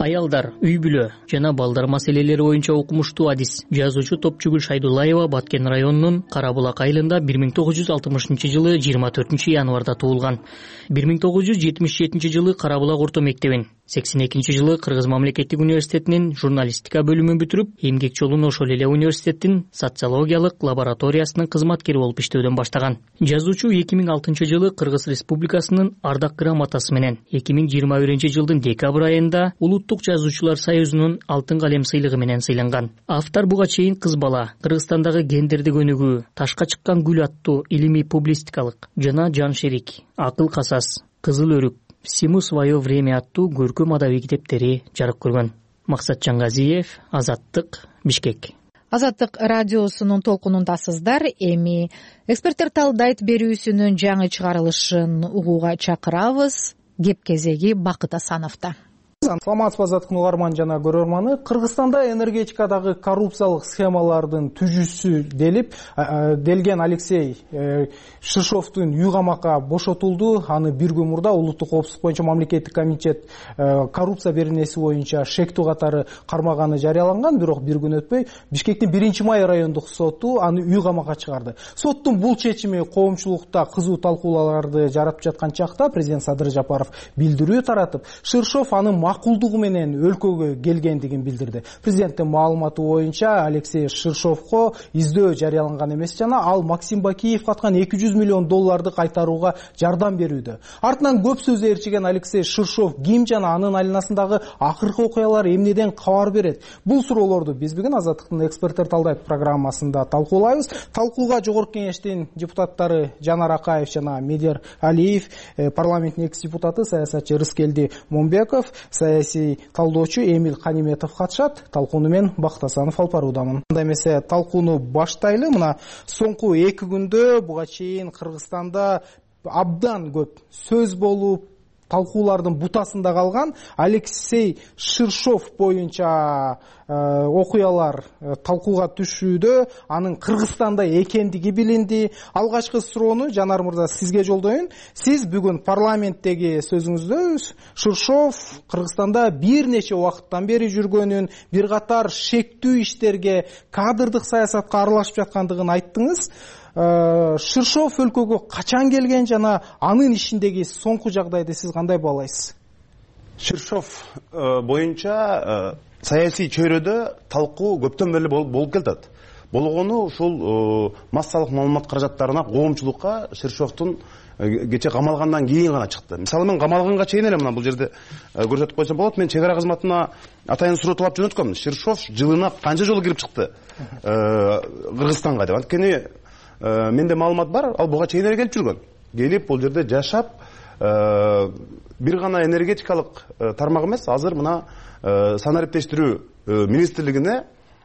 Аялдар, үй бүлө жана балдар маселелери боюнча окумуштуу адис жазуучу Топчугул Шайдуллаева Баткен районунун Карабулак айылында 1960-жылы 24-январда туулган. 1977 жылы Карабулак орто мектебин, 82-жылы Кыргыз мамлекеттик университетинин журналистика бөлүмүн бүтүрүп, эмгек жолун ошол эле университеттин социологиялык лабораториясынын кызматкери болуп иштөөдөн баштаган. Жазуучу 2006-жылы Кыргыз Республикасынын Ардак грамотасы менен, 2021-жылдын декабрь айында Улуттук жазуучулар союзунун Алтын калем сыйлыгы менен сыйланган. Автор буга чейин Кыз бала, Кыргызстандагы гендердик өнүгүү, Ташка чыккан гүл аттуу илимий публистикалык жана Жан шерик, Акыл касас, Кызыл өрүк, Всему свое время аттуу көркөм адабий китептери жарык көргөн. Максат Жангазиев, Азаттык, Бишкек. Азаттык радиосунун толкунундасыздар. Эми эксперттер талдайт берүүсүнүн жаңы чыгарылышын угууга чакырабыз. Кеп кезеги Бакыт Асановдо. Саламатсызбы азаттыктын угарман жана көрөрманы. Кыргызстанда энергетикадагы коррупциялык схемалардын түзүүсү делген Алексей Шишовдун үй камакка бошотулду. Аны бир күн мурда улуттук коопсуздук боюнча мамлекеттик комитет коррупция беренеси боюнча шектүү катары кармаганы жарыяланган. Бирок бир күн өтпөй Бишкектин 1-Май райондук соту аны үй камакка чыгарды. Соттун бул чечими коомчулукта кызуу талкууларды жаратып жаткан чакта президент Садыр Жапаров билдирүү таратып, Шишов аны макулдугу менен өлкөгө келгендигин билдирди. Президенттин маалыматы боюнча Алексей Ширшовго издөө жарыяланган эмес жана ал Максим Бакиевге аткан $200 миллион кайтарууга жардам берүүдө. Артынан көп сөз ээрчиген Алексей Ширшов ким жана анын айланасындагы акыркы окуялар эмнеден кабар берет? Бул суроолорду биз бүгүн Азаттыктын эксперттер талдайт программасында талкуулайбыз. Талкууга Жогорку Кеңештин депутаттары Жанар Акаев жана Медер Алиев, парламенттин экс-депутаты саясатчы Рыскелди Момбеков, саясий талдоочу Эмил Каниметов катышат. Талкууну мен Бактасанов алып баруудамын. Анда эмесе талкууну баштайлы. Мына соңку 2 күндө буга чейин Кыргызстанда абдан көп сөз болуп, талкуулардын бутасында калган Алексей Ширшов боюнча окуялар талкууга түшүүдө, анын Кыргызстанда экендиги билинди. Алгачкы суроону Жанар мырза сизге жолдоюн. Сиз бүгүн парламенттеги сөзүңүздө Ширшов Кыргызстанда бир нече убакыттан бери жүргөнүн, бир катар шектүү иштерге, кадрдык саясатка аралашып жаткандыгын айттыңыз. Ширшов өлкөгө качан келген жана анын ишиндеги соңку жагдайды сиз кандай баалайсыз? Ширшов боюнча саясий чөйрөдө талкуу көптөн бери болуп келатат. Болгону ушул массалык маалымат каражаттарына коомчулукка Ширшовдун кече камалгандан кийин гана чыкты. Мисалы мен камалганга чейин эле мына бул жерде көрсөтүп койсом болот. Мен чек ара кызматына атайын суротулап жөнөткөм. Ширшов жылына канча жолу кирип чыкты Кыргызстанга деп. Анткени менде маалымат бар, ал буга чейин эле келип жүргөн. Келип бул жерде жашап, бир гана энергетикалык тармак эмес, азыр мына санариптештирүү министрлигине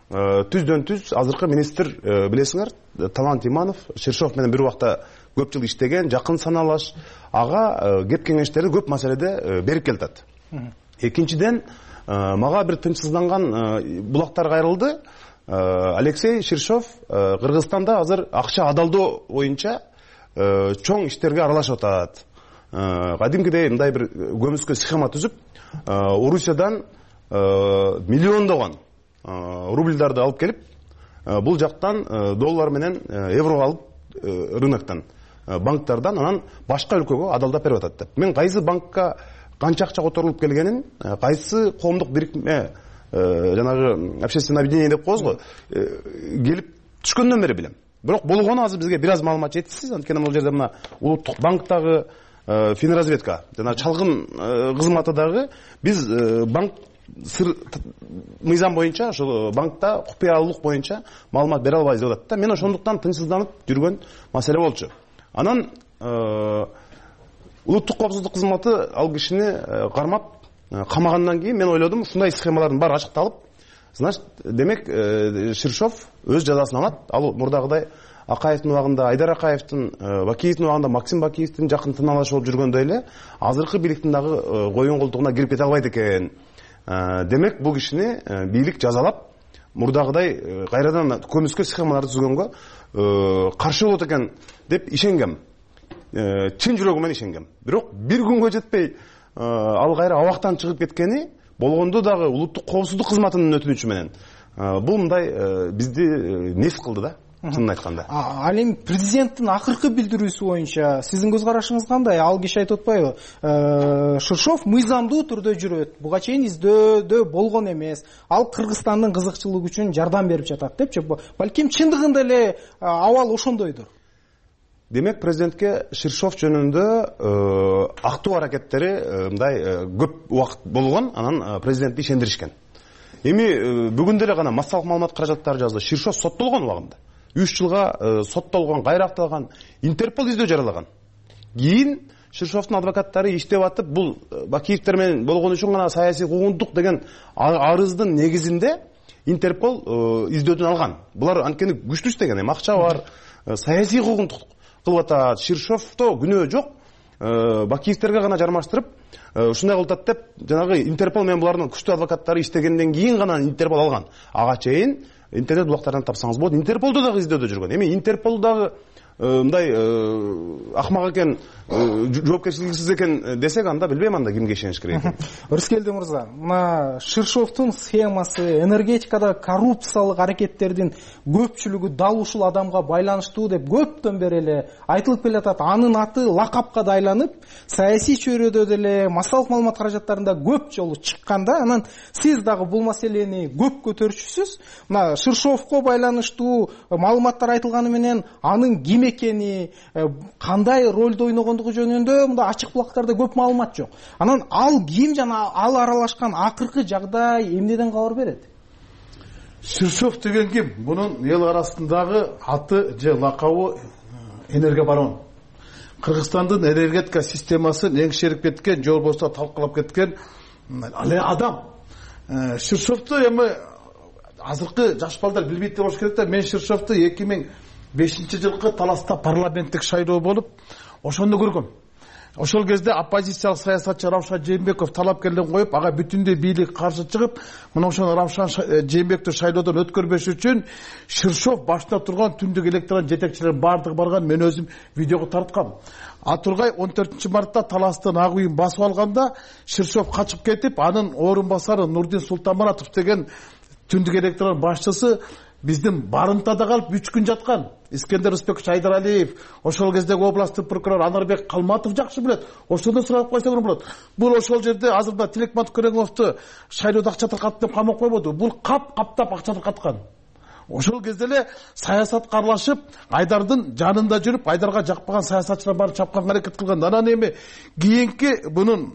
түздөн түз азыркы министр билесиңер, Талант Иманов, Ширшов менен бир убакта көп жыл иштеген, жакын саналаш, ага кеп кеңештерди көп маселеде берип келатат. Экинчиден, мага бир тынчсызданган булактар кайрылды. Алексей Ширшов Кыргызстанда азыр акча адалдоо боюнча чоң иштерге аралашып атат. Кадимкидей мындай бир көмүскө схема түзүп, Орусиядан миллиондогон рубльдарды алып келип, бул жактан доллар менен евро алып рыноктон, банктардан, анан башка өлкөгө адалдап берип атат деп. Мен кайсы банкка канча акча которулуп келгенин, кайсы коомдук бирикме жанагы общественное объединение деп коебуз го, келип түшкөндөн бери билем. Бирок болгону азыр бизге бир аз маалымат жетишсиз. Анткени бул жерде мына улуттук банктагы финразведка жана чалгын кызматыдагы биз банк мыйзам боюнча ошол банкта купуялуулук боюнча маалымат бере албайбыз деп атат да. Мен ошондуктан тынчсызданып жүргөн маселе болчу. Анан улуттук коопсуздук кызматы ал кишини кармап камагандан кийин мен ойлодум, ушундай схемалардын баары ачыкталып, значит, демек Ширшов өз жазасын алат. Ал мурдагыдай Акаевдин убагында, Айдар Акаевдин, Бакиевдин убагында Максим Бакиевдин жакын тыналашы болуп жүргөндөй эле азыркы бийликтин дагы коюн колтугуна кирип кете албайт экен. Демек бул кишини бийлик жазалап, мурдагыдай кайрадан көмүскө схемаларды түзгөнгө каршы болот экен деп ишенгем. Чын жүрөгүм менен ишенгем. Бирок бир күнгө жетпей ал кайра абактан чыгып кеткени болгондо дагы улуттук коопсуздук кызматынын өтүнүчү менен бул мындай бизди нес кылды да, чынын айтканда. Ал эми президенттин акыркы билдирүүсү боюнча сиздин көз карашыңыз кандай? Ал киши айтып атпайбы? Ширшов мыйзамдуу түрдө жүрөт, буга чейин издөөдө болгон эмес. Ал Кыргызстандын кызыкчылыгы үчүн жардам берип жатат депчи. Балким чындыгында эле абал ошондойдур. Демек президентке Ширшов жөнүндө актуу аракеттери мындай көп убакыт болгон, анан президентти ишендиришкен. Эми бүгүн деле гана массалык маалымат каражаттары жазды. Ширшов соттолгон убагында 3 жылга соттолгон, кайра акталган, Интерпол издөө жарыялаган. Кийин Ширшовдун адвокаттары иштеп атып, бул Бакиевдер менен болгон үчүн гана саясий куугунтук деген арыздын негизинде Интерпол издөөдөн алган. Булар анткени күчтүү иштеген, эми акча бар, саясий куугунтук кылып атат. Ширшовдо күнөө жок, Бакиевдерге гана жармаштырып, ушундай кылып атат деп жанагы Интерпол менен булардын күчтүү адвокаттары иштегенден кийин гана Интерпол алган. Ага чейин интернет булактардан тапсаңыз болот. Интерполдо дагы издөөдө жүргөн. Эми Интерполдагы мындай акмак экен, жоопкерчиликсиз экен десек, анда билбейм анда кимге ишениш керек экен. Рыскелди мырза, мына Ширшовдун схемасы, энергетикада коррупциялык аракеттердин көпчүлүгү дал ушул адамга байланыштуу деп көптөн бери эле айтылып келатат. Анын аты лакапка да айланып, саясий чөйрөдө деле, массалык маалымат каражаттарында көп жолу чыкканда, анан сиз дагы бул маселени көп көтөрчүсүз. Мына Ширшовко байланыштуу маалыматтар айтылганы менен анын ким экени, кандай ролду ойногондугу жөнүндө мында ачык булактарда көп маалымат жок. Анан ал ким жана ал аралашкан акыркы жагдай эмнеден кабар берет? Ширшов деген ким? Бунун эл арасындагы аты же лакабы энергобарон. Кыргызстандын энергетика системасын эңшерип кеткен, же болбосо талкалап кеткен адам. Ширшовду эми азыркы жаш балдар билбейт деп болуш керек да. Мен Ширшовду 2005-жылкы таласта парламенттик шайлоо болуп, ошону көргөм. Ошол кезде оппозициялык саясатчы Равшан Жээнбеков талапкерлерин коюп, ага бүтүндөй бийлик каршы чыгып, мына ошол Равшан Жээнбековду шайлоодон өткөрбөш үчүн Ширшов башында турган түндүк электорат жетекчилери бардыгы барган, мен өзүм видеого тарткам. Атургай 14-мартта таластын ак үйүн басып алганда Ширшов качып кетип, анын орун басары Нурдин Султанмуратов деген түндүк электорат башчысы биздин барымтада калып 3 күн жаткан. Искендер Рысбекович Айдаралиев, ошол кездеги областтык прокурор Анарбек Калматов жакшы билет. Ошондо сурап койсоң болот. Бул ошол жерде азырда Тилекман Көрөңовду шайлоодо акча таркатып деп камап койбоду. Бул каптап акча таркаткан. Ошол кезде эле саясатка аралашып, Айдардын жанында жүрүп, Айдарга жакпаган саясатчылар барып чапканга аракет кылган. Анан эми кийинки бунун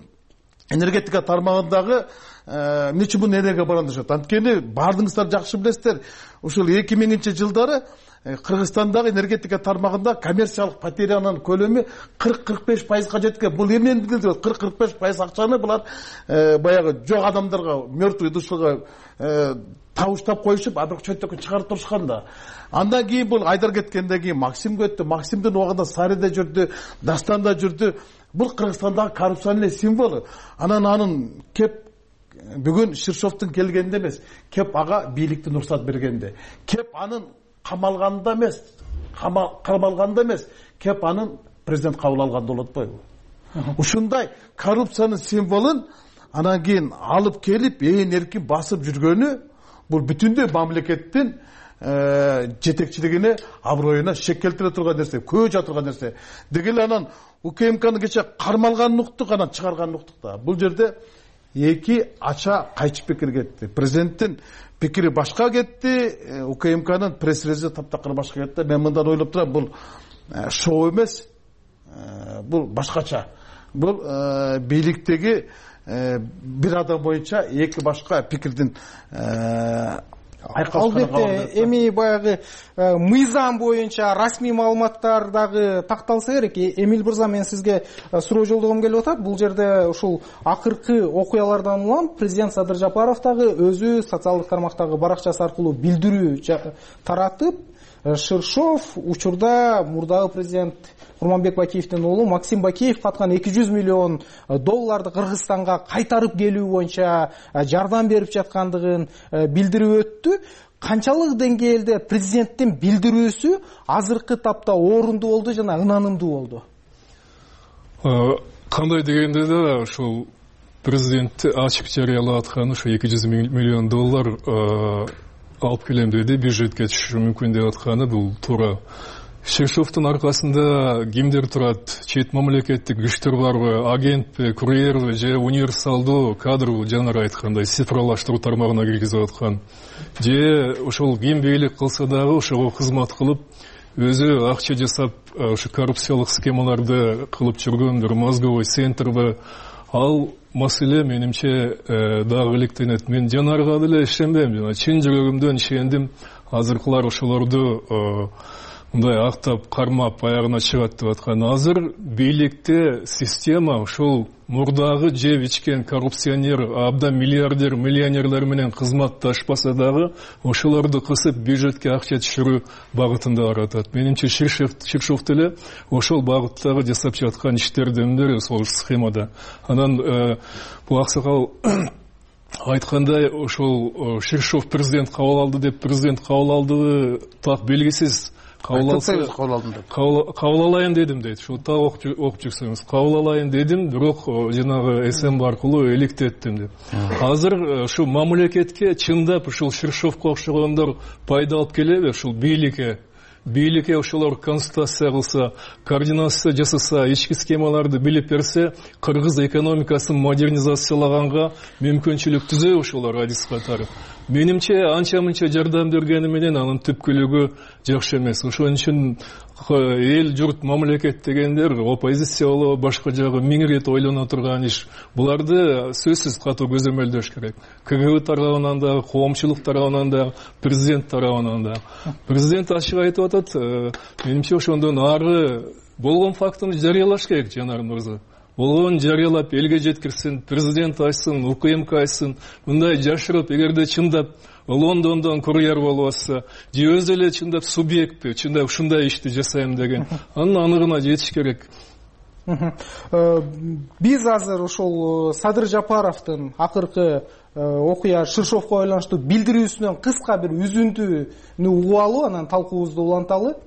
энергетика тармагындагы эмне үчүн бунун энергия баран дешет? Анткени баардыгыңыздар жакшы билесиздер, ушул 2000-жылдары Кыргызстандагы энергетика тармагында коммерциялык потерянын көлөмү 40-45%га жеткен. Бул эмнени билдирет? 40-45% акчаны булар баягы жок адамдарга, мертвый душага табыштап коюшуп, а бирок чөйтөккө чыгарып турушкан да. Андан кийин бул Айдар кеткенден кийин Максим өттү. Максимдин убагында Сариде жүрдү, Дастанда жүрдү. Бул Кыргызстандагы коррупциянын символу. Анын кеп бүгүн Ширшовдун келгенде эмес, кеп ага бийликти уруксат бергенде, кеп анын камалганда эмес, кеп анын президент кабыл алганда болот койбу. Ушундай коррупциянын символун анан кийин алып келип, ээн эркин басып жүргөнү бул бүтүндөй мамлекеттин жетекчилигине, аброюна шек келтире турган нерсе, көжө турган нерсе. Дегеле анан УКМКны кече кармалганын уктук, анан чыгарганын уктук да. Бул жерде эки ача кайчы пикир кетти. Президенттин пикири башка кетти, УКМКнын пресс-релизи таптакыр башка кетти. Мен мындан ойлоп турам, бул шоу эмес, бул башкача. Бул бийликтеги бир адам боюнча эки башка пикирдин албетте эми баягы мыйзам боюнча расмий маалыматтар дагы такталса керек. Эмил мырза, мен сизге суроо жолдогом келип атат. Бул жерде ушул акыркы окуялардан улам президент Садыр Жапаров дагы өзү социалдык тармактагы баракчасы аркылуу билдирүү таратып, Ширшов учурда мурдагы президент Курманбек Бакиевдин уулу Максим Бакиев каткан $200 миллион Кыргызстанга кайтарып келүү боюнча жардам берип жаткандыгын билдирип өттү. Канчалык деңгээлде президенттин билдирүүсү азыркы тапта орунду болду жана ынанымдуу болду? Кандай дегенде да ушул президент ачык жарыялап аткан ушу $200 миллион алып келем деди, бюджетке түшүшү мүмкүн деп атканы бул туура. Ширшовдун аркасында кимдер турат? Чет мамлекеттик күчтөр барбы? Агентпи, курьерби же универсалдуу кадрбы, жанагы айткандай цифрлаштыруу тармагына киргизип аткан? Же ошол ким бийлик кылса дагы ошого кызмат кылып, өзү акча жасап, ушу коррупциялык схемаларды кылып жүргөн бир мозговой центрби? Ал маселе менимче дагы иликтенет. Мен жанарга деле ишенбейм, жана чын жүрөгүмдөн ишендим. Азыркылар ошолорду мындай актап, кармап, аягына чыгат деп аткан. Азыр бийликте система ушул мурдагы жеп ичкен коррупционер, абдан миллиардер, миллионерлер менен кызматташпаса дагы ошолорду кысып бюджетке акча түшүрүү багытында баратат. Менимче Ширшов деле ошол багыттагы жасап жаткан иштердин бири сол схемада. Анан бул аксакал айткандай, ошол Ширшов президент кабыл алды деп, президент кабыл алды так белгисиз. кабыл алайын дедим дейт. Ушул так окуп жүрсөңүз, кабыл алайын дедим, бирок жанагы СМ аркылуу электеттим деп. Азыр ушу мамлекетке чындап ушул Ширшовго окшогондор пайда алып келеби? Ушул бийликке ошолор консультация кылса, координация жасаса, ички схемаларды билип берсе, кыргыз экономикасын модернизациялаганга мүмкүнчүлүк түзөбү ошолор адис катары. Менимче анча-мынча жардам бергени менен анын түпкүлүгү жакшы эмес. Ошон үчүн эл журт мамлекет дегендер оппозиция болобу, башка жагы миң ирет ойлоно турган иш. Буларды сөзсүз катуу көзөмөлдөш керек. КГБ тарабынан да, коомчулук тарабынан да, президент тарабынан да. Президент ачык айтып атат, менимче ошондон ары болгон фактыны жарыялаш керек, Жанар мырза. Болгон жарыялап элге жеткирсин, президент айтсын, УКМК айтсын. Мындай жашырып, эгерде чындап Лондондон курьер болуп атса, же өзү эле чындап субъектпи, чындап ушундай ишти жасайм деген, анын аныгына жетиш керек. Биз азыр ошол Садыр Жапаровдун акыркы окуя Ширшовго байланыштуу билдирүүсүнөн кыска бир үзүндүнү угуп алып, анан талкуубузду уланталы.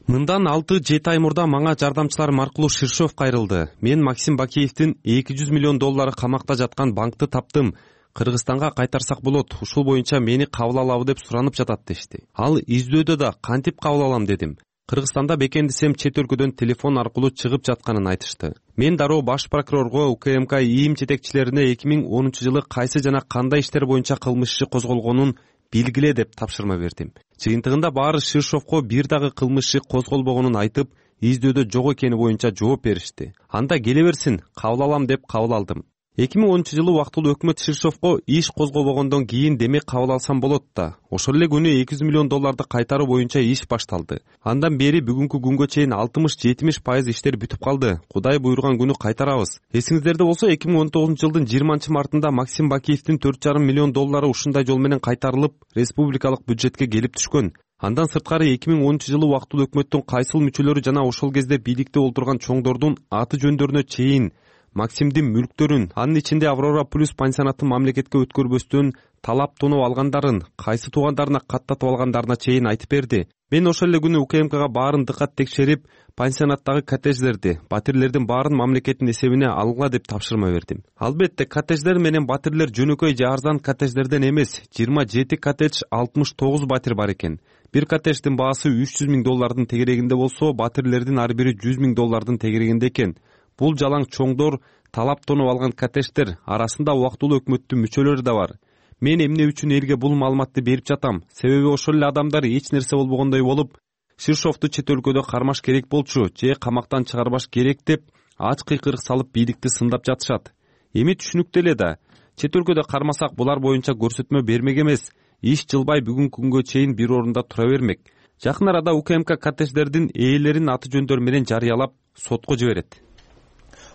Мындан 6-7 ай мурда мага жардамчыларым аркылуу Ширшов кайрылды. Мен Максим Бакиевдин $200 миллион камакта жаткан банкты таптым. Кыргызстанга кайтарсак болот. Ушул боюнча мени кабыл алабы деп суранып жатат дешти. Ал издөөдө да кантип кабыл алам дедим. Кыргызстанда бекендисем чет өлкөдөн телефон аркылуу чыгып жатканын айтышты. Мен дароо баш прокурорго, УКМК ИИМ жетекчилерине 2010-жылы кайсы жана кандай иштер боюнча кылмыш иши козголгонун билгиле деп тапшырма бердим. Жыйынтыгында баары Ширшовго бир дагы кылмыш иши козголбогонун айтып, издөөдө жок экени боюнча жооп беришти. Анда келе берсин, кабыл алам деп кабыл алдым. 2010-жылы убактылуу өкмөт Ширшовго иш козголбогондон кийин демек кабыл алсам болот да. Ошол эле күнү $200 миллион кайтаруу боюнча иш башталды. Андан бери бүгүнкү күнгө чейин 60-70% иштер бүтүп калды. Кудай буйруган күнү кайтарабыз. Эсиңиздерде болсо 2019-жылдын 20-мартында Максим Бакиевдин $4,5 миллион ушундай жол менен кайтарылып, республикалык бюджетке келип түшкөн. Андан сырткары 2010-жылы убактылуу өкмөттүн кайсыл мүчөлөрү жана ошол кезде бийликте олтурган чоңдордун аты жөндөрүнө чейин Максимдин мүлктөрүн, анын ичинде Аврора Плюс пансионатын мамлекетке өткөрбөстөн талап тоноо алгандарын, кайсы туугандарына каттатып алгандарына чейин айтып берди. Мен ошол эле күнү УКМКга баарын дыкат текшерип, пансионаттагы коттедждерди, батирлердин баарын мамлекеттин эсебине алгыла деп тапшырма бердим. Албетте, коттедждер менен батирлер жөнөкөй же арзан коттедждерден эмес, 27 коттедж, 69 батир бар экен. Бир коттедждин баасы $300 миң тегерегинде болсо, батирлердин ар бири $100 миң тегерегинде экен. Бул жалаң чоңдор, талап тонуп алган коттедждер арасында убактылуу өкмөттүн мүчөлөрү да бар. Мен эмне үчүн элге бул маалыматты берип жатам? Себеби ошол эле адамдар эч нерсе болбогондой болуп, Ширшовду чет өлкөдө кармаш керек болчу, же камактан чыгарбаш керек деп ач кыйкырык салып бийликти сындап жатышат. Эми түшүнүктүү эле да, чет өлкөдө кармасак булар боюнча көрсөтмө бермек эмес. Иш жылбай бүгүнкү күнгө чейин бир орунда тура бермек. Жакын арада УКМК коттедждердин ээлерин аты жөндөр менен жарыялап сотко жиберет.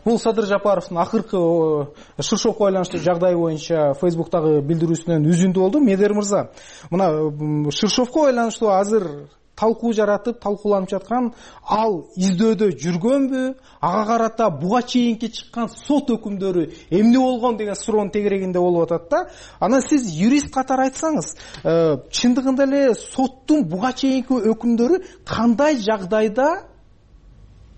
Бул Садыр Жапаровдун акыркы Ширшовго байланыштуу жагдай боюнча Фейсбуктагы билдирүүсүнөн үзүндү болду. Медер мырза, мына Ширшовго байланыштуу азыр талкуу жаратып, талкууланып жаткан, ал издөөдө жүргөнбү? Ага карата буга чейинки чыккан сот өкүмдөрү эмне болгон деген суроонун тегерегинде болуп атат да. Анан сиз юрист катары айтсаңыз, чындыгында эле соттун буга чейинки өкүмдөрү кандай жагдайда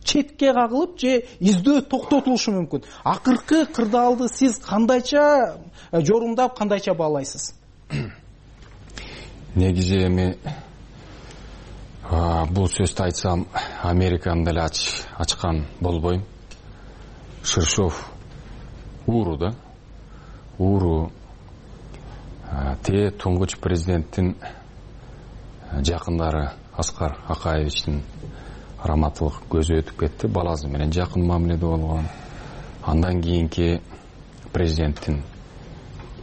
четке кагылып же издөө токтотулушу мүмкүн? Акыркы кырдаалды сиз кандайча жорумдап, кандайча баалайсыз? Негизи эми бул сөздү айтсам Американы деле ачкан болбойм. Ширшов ууру да. Ууру туңгуч президенттин жакындары Аскар Акаевичтин раматылык көзү өтүп кетти, баласы менен жакын мамиледе болгон. Андан кийинки президенттин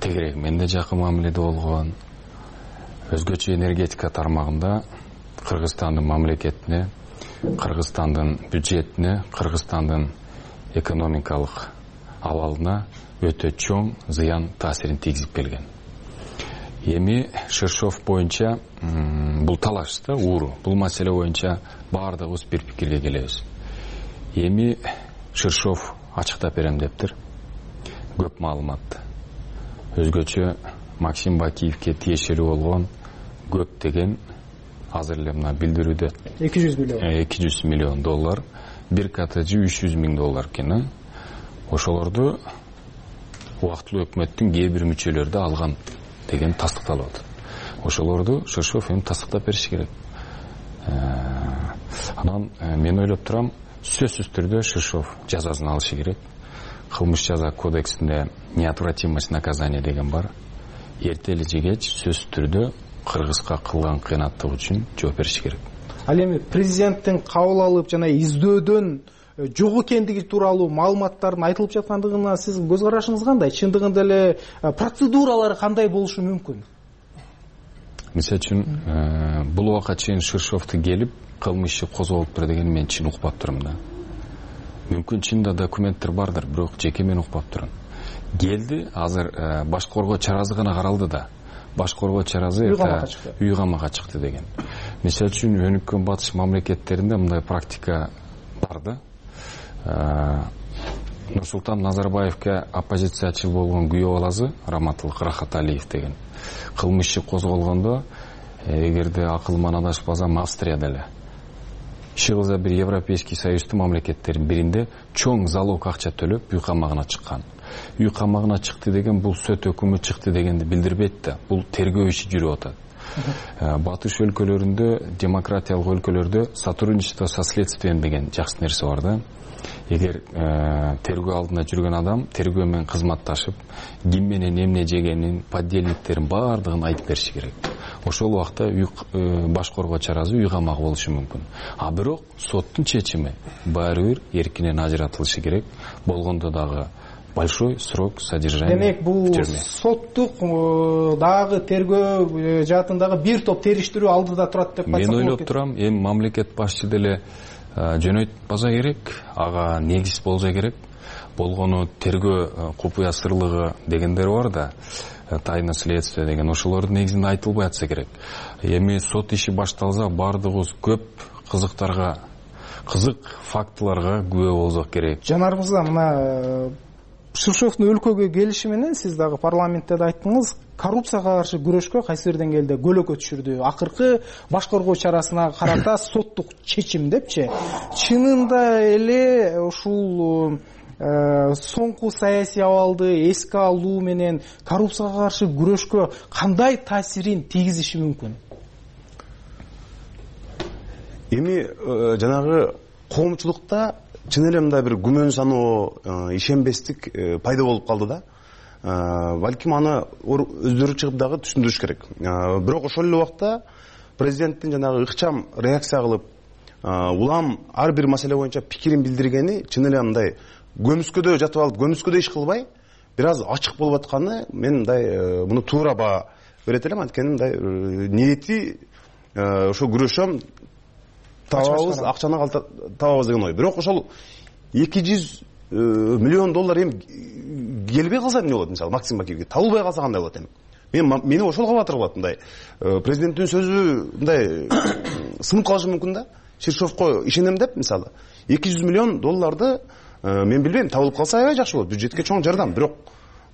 тегереги менен да жакын мамиледе болгон. Өзгөчө энергетика тармагында Кыргызстандын мамлекетине, Кыргызстандын бюджетине, Кыргызстандын экономикалык абалына өтө чоң зыян таасирин тийгизип келген. Эми Ширшов боюнча бул талаш да, ууру. Бул маселе боюнча баардыгыбыз бир пикирге келебиз. Эми Ширшов ачыктап берем дептир. Көп маалымат. Өзгөчө Максим Бакиевке тиешелүү болгон көптөгөн азыр эле мына билдирүүдө 200 миллион доллар, бир коттеджи 300 миң доллар экен. Ошолорду убактылуу өкмөттүн кээ бир мүчөлөрү да алган деген тастыкталып атат. Ошолорду Ширшов эми тастыктап бериши керек. Анан мен ойлоп турам, сөзсүз түрдө Ширшов жазасын алышы керек. Кылмыш жаза кодексинде неотвратимость наказания деген бар. Эртели же кеч сөзсүз түрдө Кыргызга кылган кыянаттык үчүн жооп бериши керек. Ал эми президенттин кабыл алып жана издөөдөн жок экендиги тууралуу маалыматтардын айтылып жаткандыгына сиздин көз карашыңыз кандай? Чындыгында эле процедуралары кандай болушу мүмкүн? Мисалы үчүн бул убакка чейин Ширшовду келип кылмыш иши козголуптур деген мен чын укпап турмун да. Мүмкүн чында документтер бардыр, бирок жеке мен укпап турам. Келди, азыр баш коргоо чарасы гана каралды да. Баш коргоо чарасы үй камакка чыкты деген. Мисалы үчүн өнүккөн батыш мамлекеттеринде мындай практика бар да. Нурсултан Назарбаевке оппозициячыл болгон күйөө баласы Раматылык Рахаталиев деген. Кылмыш иши козголгондо, эгерде акылым адашпасам, Австрияда эле иши кылса бир Европейский Союздун мамлекеттеринин биринде чоң залог акча төлөп үй камагына чыккан. Үй камагына чыкты деген бул сот өкүмү чыкты дегенди билдирбейт да. Бул тергөө иши жүрүп атат. Батыш өлкөлөрүндө, демократиялык өлкөлөрдө сотрудничество со следствием деген жакшы нерсе бар да. Эгер тергөө алдында жүргөн адам тергөө менен кызматташып, ким менен эмне жегенин, поддельниктерин баардыгын айтып бериши керек. Ошол убакта баш коргоо чарасы үй камак болушу мүмкүн. А бирок соттун чечими баары бир эркинен ажыратылышы керек. Болгондо дагы большой срок содержания. Демек бул соттук дагы тергөө жаатындагы бир топ териштирүү алдыда турат деп айтсак болот. Мен ойлоп турам, эми мамлекет башчы деле жөнөйтпаса керек, ага негиз болжо керек. Болгону тергөө купуя сырлыгы дегендер бар да, тайна следствия деген, ошолордун негизинде айтылбай атса керек. Эми сот иши башталса баардыгыбыз көп кызыктарга, кызык фактыларга күбө болсок керек. Жанар мырза, мына Ширшовдун өлкөгө келиши менен сиз дагы парламентте да айттыңыз, коррупцияга каршы күрөшкө кайсы бир деңгээлде көлөкө түшүрдү. Акыркы баш коргоо чарасына карата соттук чечим депчи. Чынында эле ушул соңку саясий абалды эске алуу менен коррупцияга каршы күрөшкө кандай таасирин тийгизиши мүмкүн? Эми жанагы коомчулукта чын эле мындай бир күмөн саноо, ишенбестик пайда болуп калды да. Балким аны өздөрү чыгып дагы түшүндүрүш керек. Бирок ошол эле убакта президенттин жанагы ыкчам реакция кылып, улам ар бир маселе боюнча пикирин билдиргени чын эле мындай көмүскөдө жатып алып, көмүскөдө иш кылбай, бир аз ачык болуп атканы мен мындай муну туура баа берет элем. Анткени мындай ниети ошо күрөшөм, табабыз, акчаны табабыз деген ой. Бирок ошол 200 миллион доллар эми келбей калса эмне болот? Мисалы Максим Бакиевге табылбай калса кандай болот эми? Мени ошол кабатыр кылат. Мындай президенттин сөзү мындай сынып калышы мүмкүн да. Ширшовко ишенем деп, мисалы 200 миллион долларды мен билбейм, табылып калса аябай жакшы болот. Бюджетке чоң жардам. Бирок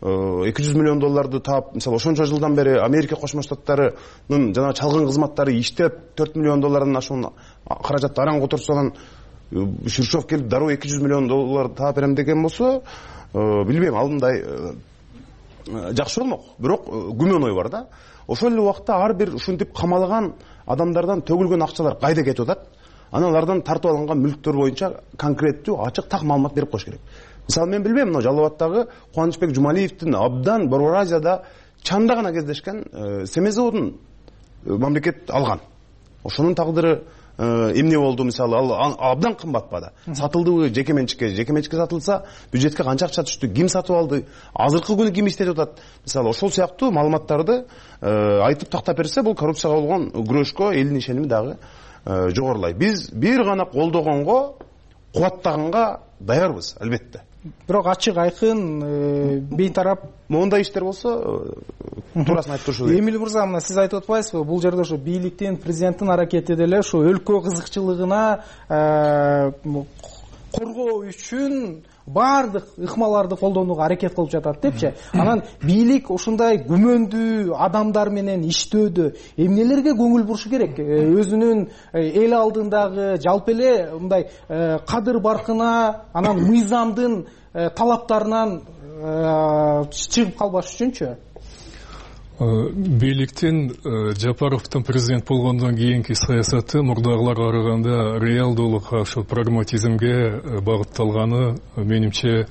200 миллион долларды таап, мисалы ошончо жылдан бери Америка Кошмо Штаттарынын жана чалгын кызматтары иштеп 4 миллион доллардан ашуун каражатты араң которсо, анан Ширшов келип дароо 200 миллион доллар таап берем деген болсо, билбейм, ал мындай жакшы болмок. Бирок күмөн ой бар да. Ошол эле убакта ар бир ушинтип камалган адамдардан төгүлгөн акчалар кайда кетип атат? Аналардан тартып алынган мүлктөр боюнча конкреттүү, ачык, так маалымат берип коюш керек. Мисалы мен билбейм, мына Жалал Абадтагы Кубанычбек Жумалиевдин абдан Борбор Азияда чанда гана кездешкен семей заводун мамлекет алган. Ошонун тагдыры эмне болду? Мисалы ал абдан кымбат баада. Сатылдыбы жеке менчикке сатылса, бюджетке канча акча түштү, ким сатып алды, азыркы күнү ким иштетип атат? Мисалы ошол сыяктуу маалыматтарды айтып тактап берсе, бул коррупцияга болгон күрөшкө элдин ишеними дагы жогорулайт. Биз бир гана колдогонго, кубаттаганга даярбыз, албетте. Бирок ачык айкын бейтарап мондай иштер болсо туурасын айтып турушу керек. Эмил мырза, мына сиз айтып атпайсызбы, бул жерде ошо бийликтин, президенттин аракети деле ошо өлкө кызыкчылыгына коргоо үчүн баардык ыкмаларды колдонууга аракет кылып жатат депчи. Анан бийлик ушундай күмөндүү адамдар менен иштөөдө эмнелерге көңүл бурушу керек? Өзүнүн эл алдындагы жалпы эле мындай кадыр баркына, анан мыйзамдын талаптарынан чыгып калбаш үчүнчү? Бийликтин Жапаровдун президент болгондон кийинки саясаты мурдагыларга караганда реалдуулукка, ошол прагматизмге багытталганы менимче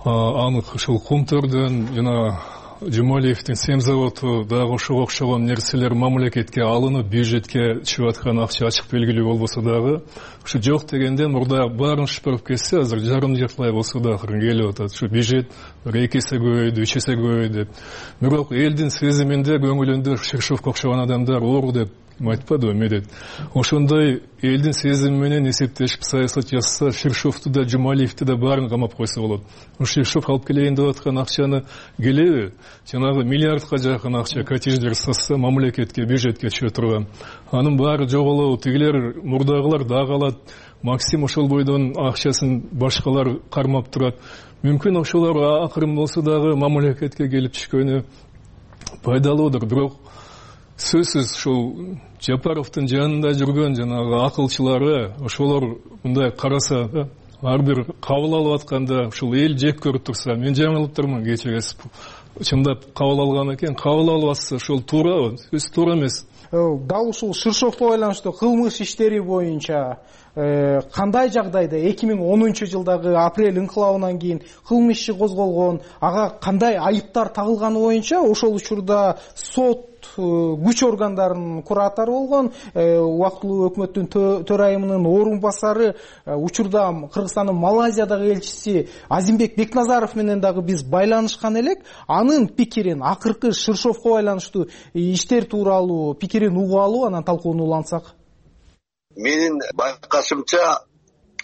анык. Ушул Кумтөрдөн жана Жумалиевдин семзаводу дагы ошого окшогон нерселер мамлекетке алынып, бюджетке чыгып аткан акча ачык белгилүү болбосо дагы, ушу жок дегенде мурда баарын шыпырып кетсе, азыр жарым жартылай болсо да акырын келип атат. Ушу бюджет 2 эсе көбөйдү, 3 эсе көбөйдү. Бирок элдин сезиминде, көңүлүндө Ширшовго окшогон адамдар оор деп айтпадыбы медет. Ошондой элдин сезими менен эсептешип саясат жасаса, Ширшовду да, Жумалиевди да баарын камап койсо болот. Ширшов алып келейин деп аткан акчаны келеби? Жанагы миллиардка жакын акча коттедждер сатса, мамлекетке, бюджетке түшө турган. Анын баары жоголобу, тигилер мурдагылар дагы алат. Максим ошол бойдон акчасын башкалар кармап турат. Мүмкүн ошолор акырын болсо дагы мамлекетке келип түшкөнү пайдалуудур. Бирок сөзсүз ушул Жапаровдун жанында жүргөн жанагы акылчылары, ошолор мындай караса, ар бир кабыл алып атканда ушул эл жек көрүп турса, мен жаңылыптырмын, кечиресиз. Чындап кабыл алган экен, кабыл алып атса ошол туурабы? Сөзсүз туура эмес. Дал ушул Ширшовго байланыштуу кылмыш иштери боюнча кандай жагдайда 2010-жылдагы апрель инкылабынан кийин кылмыш иши козголгон, ага кандай айыптар тагылганы боюнча ошол учурда сот күч органдарынын куратору болгон, убактылуу өкмөттүн төрайымынын орун басары, учурда Кыргызстандын Малайзиядагы элчиси Азимбек Бекназаров менен дагы биз байланышкан элек. Анын пикирин, акыркы Ширшовго байланыштуу иштер тууралуу пикирин угуп алуу, анан талкууну улантсак. Менин байкашымча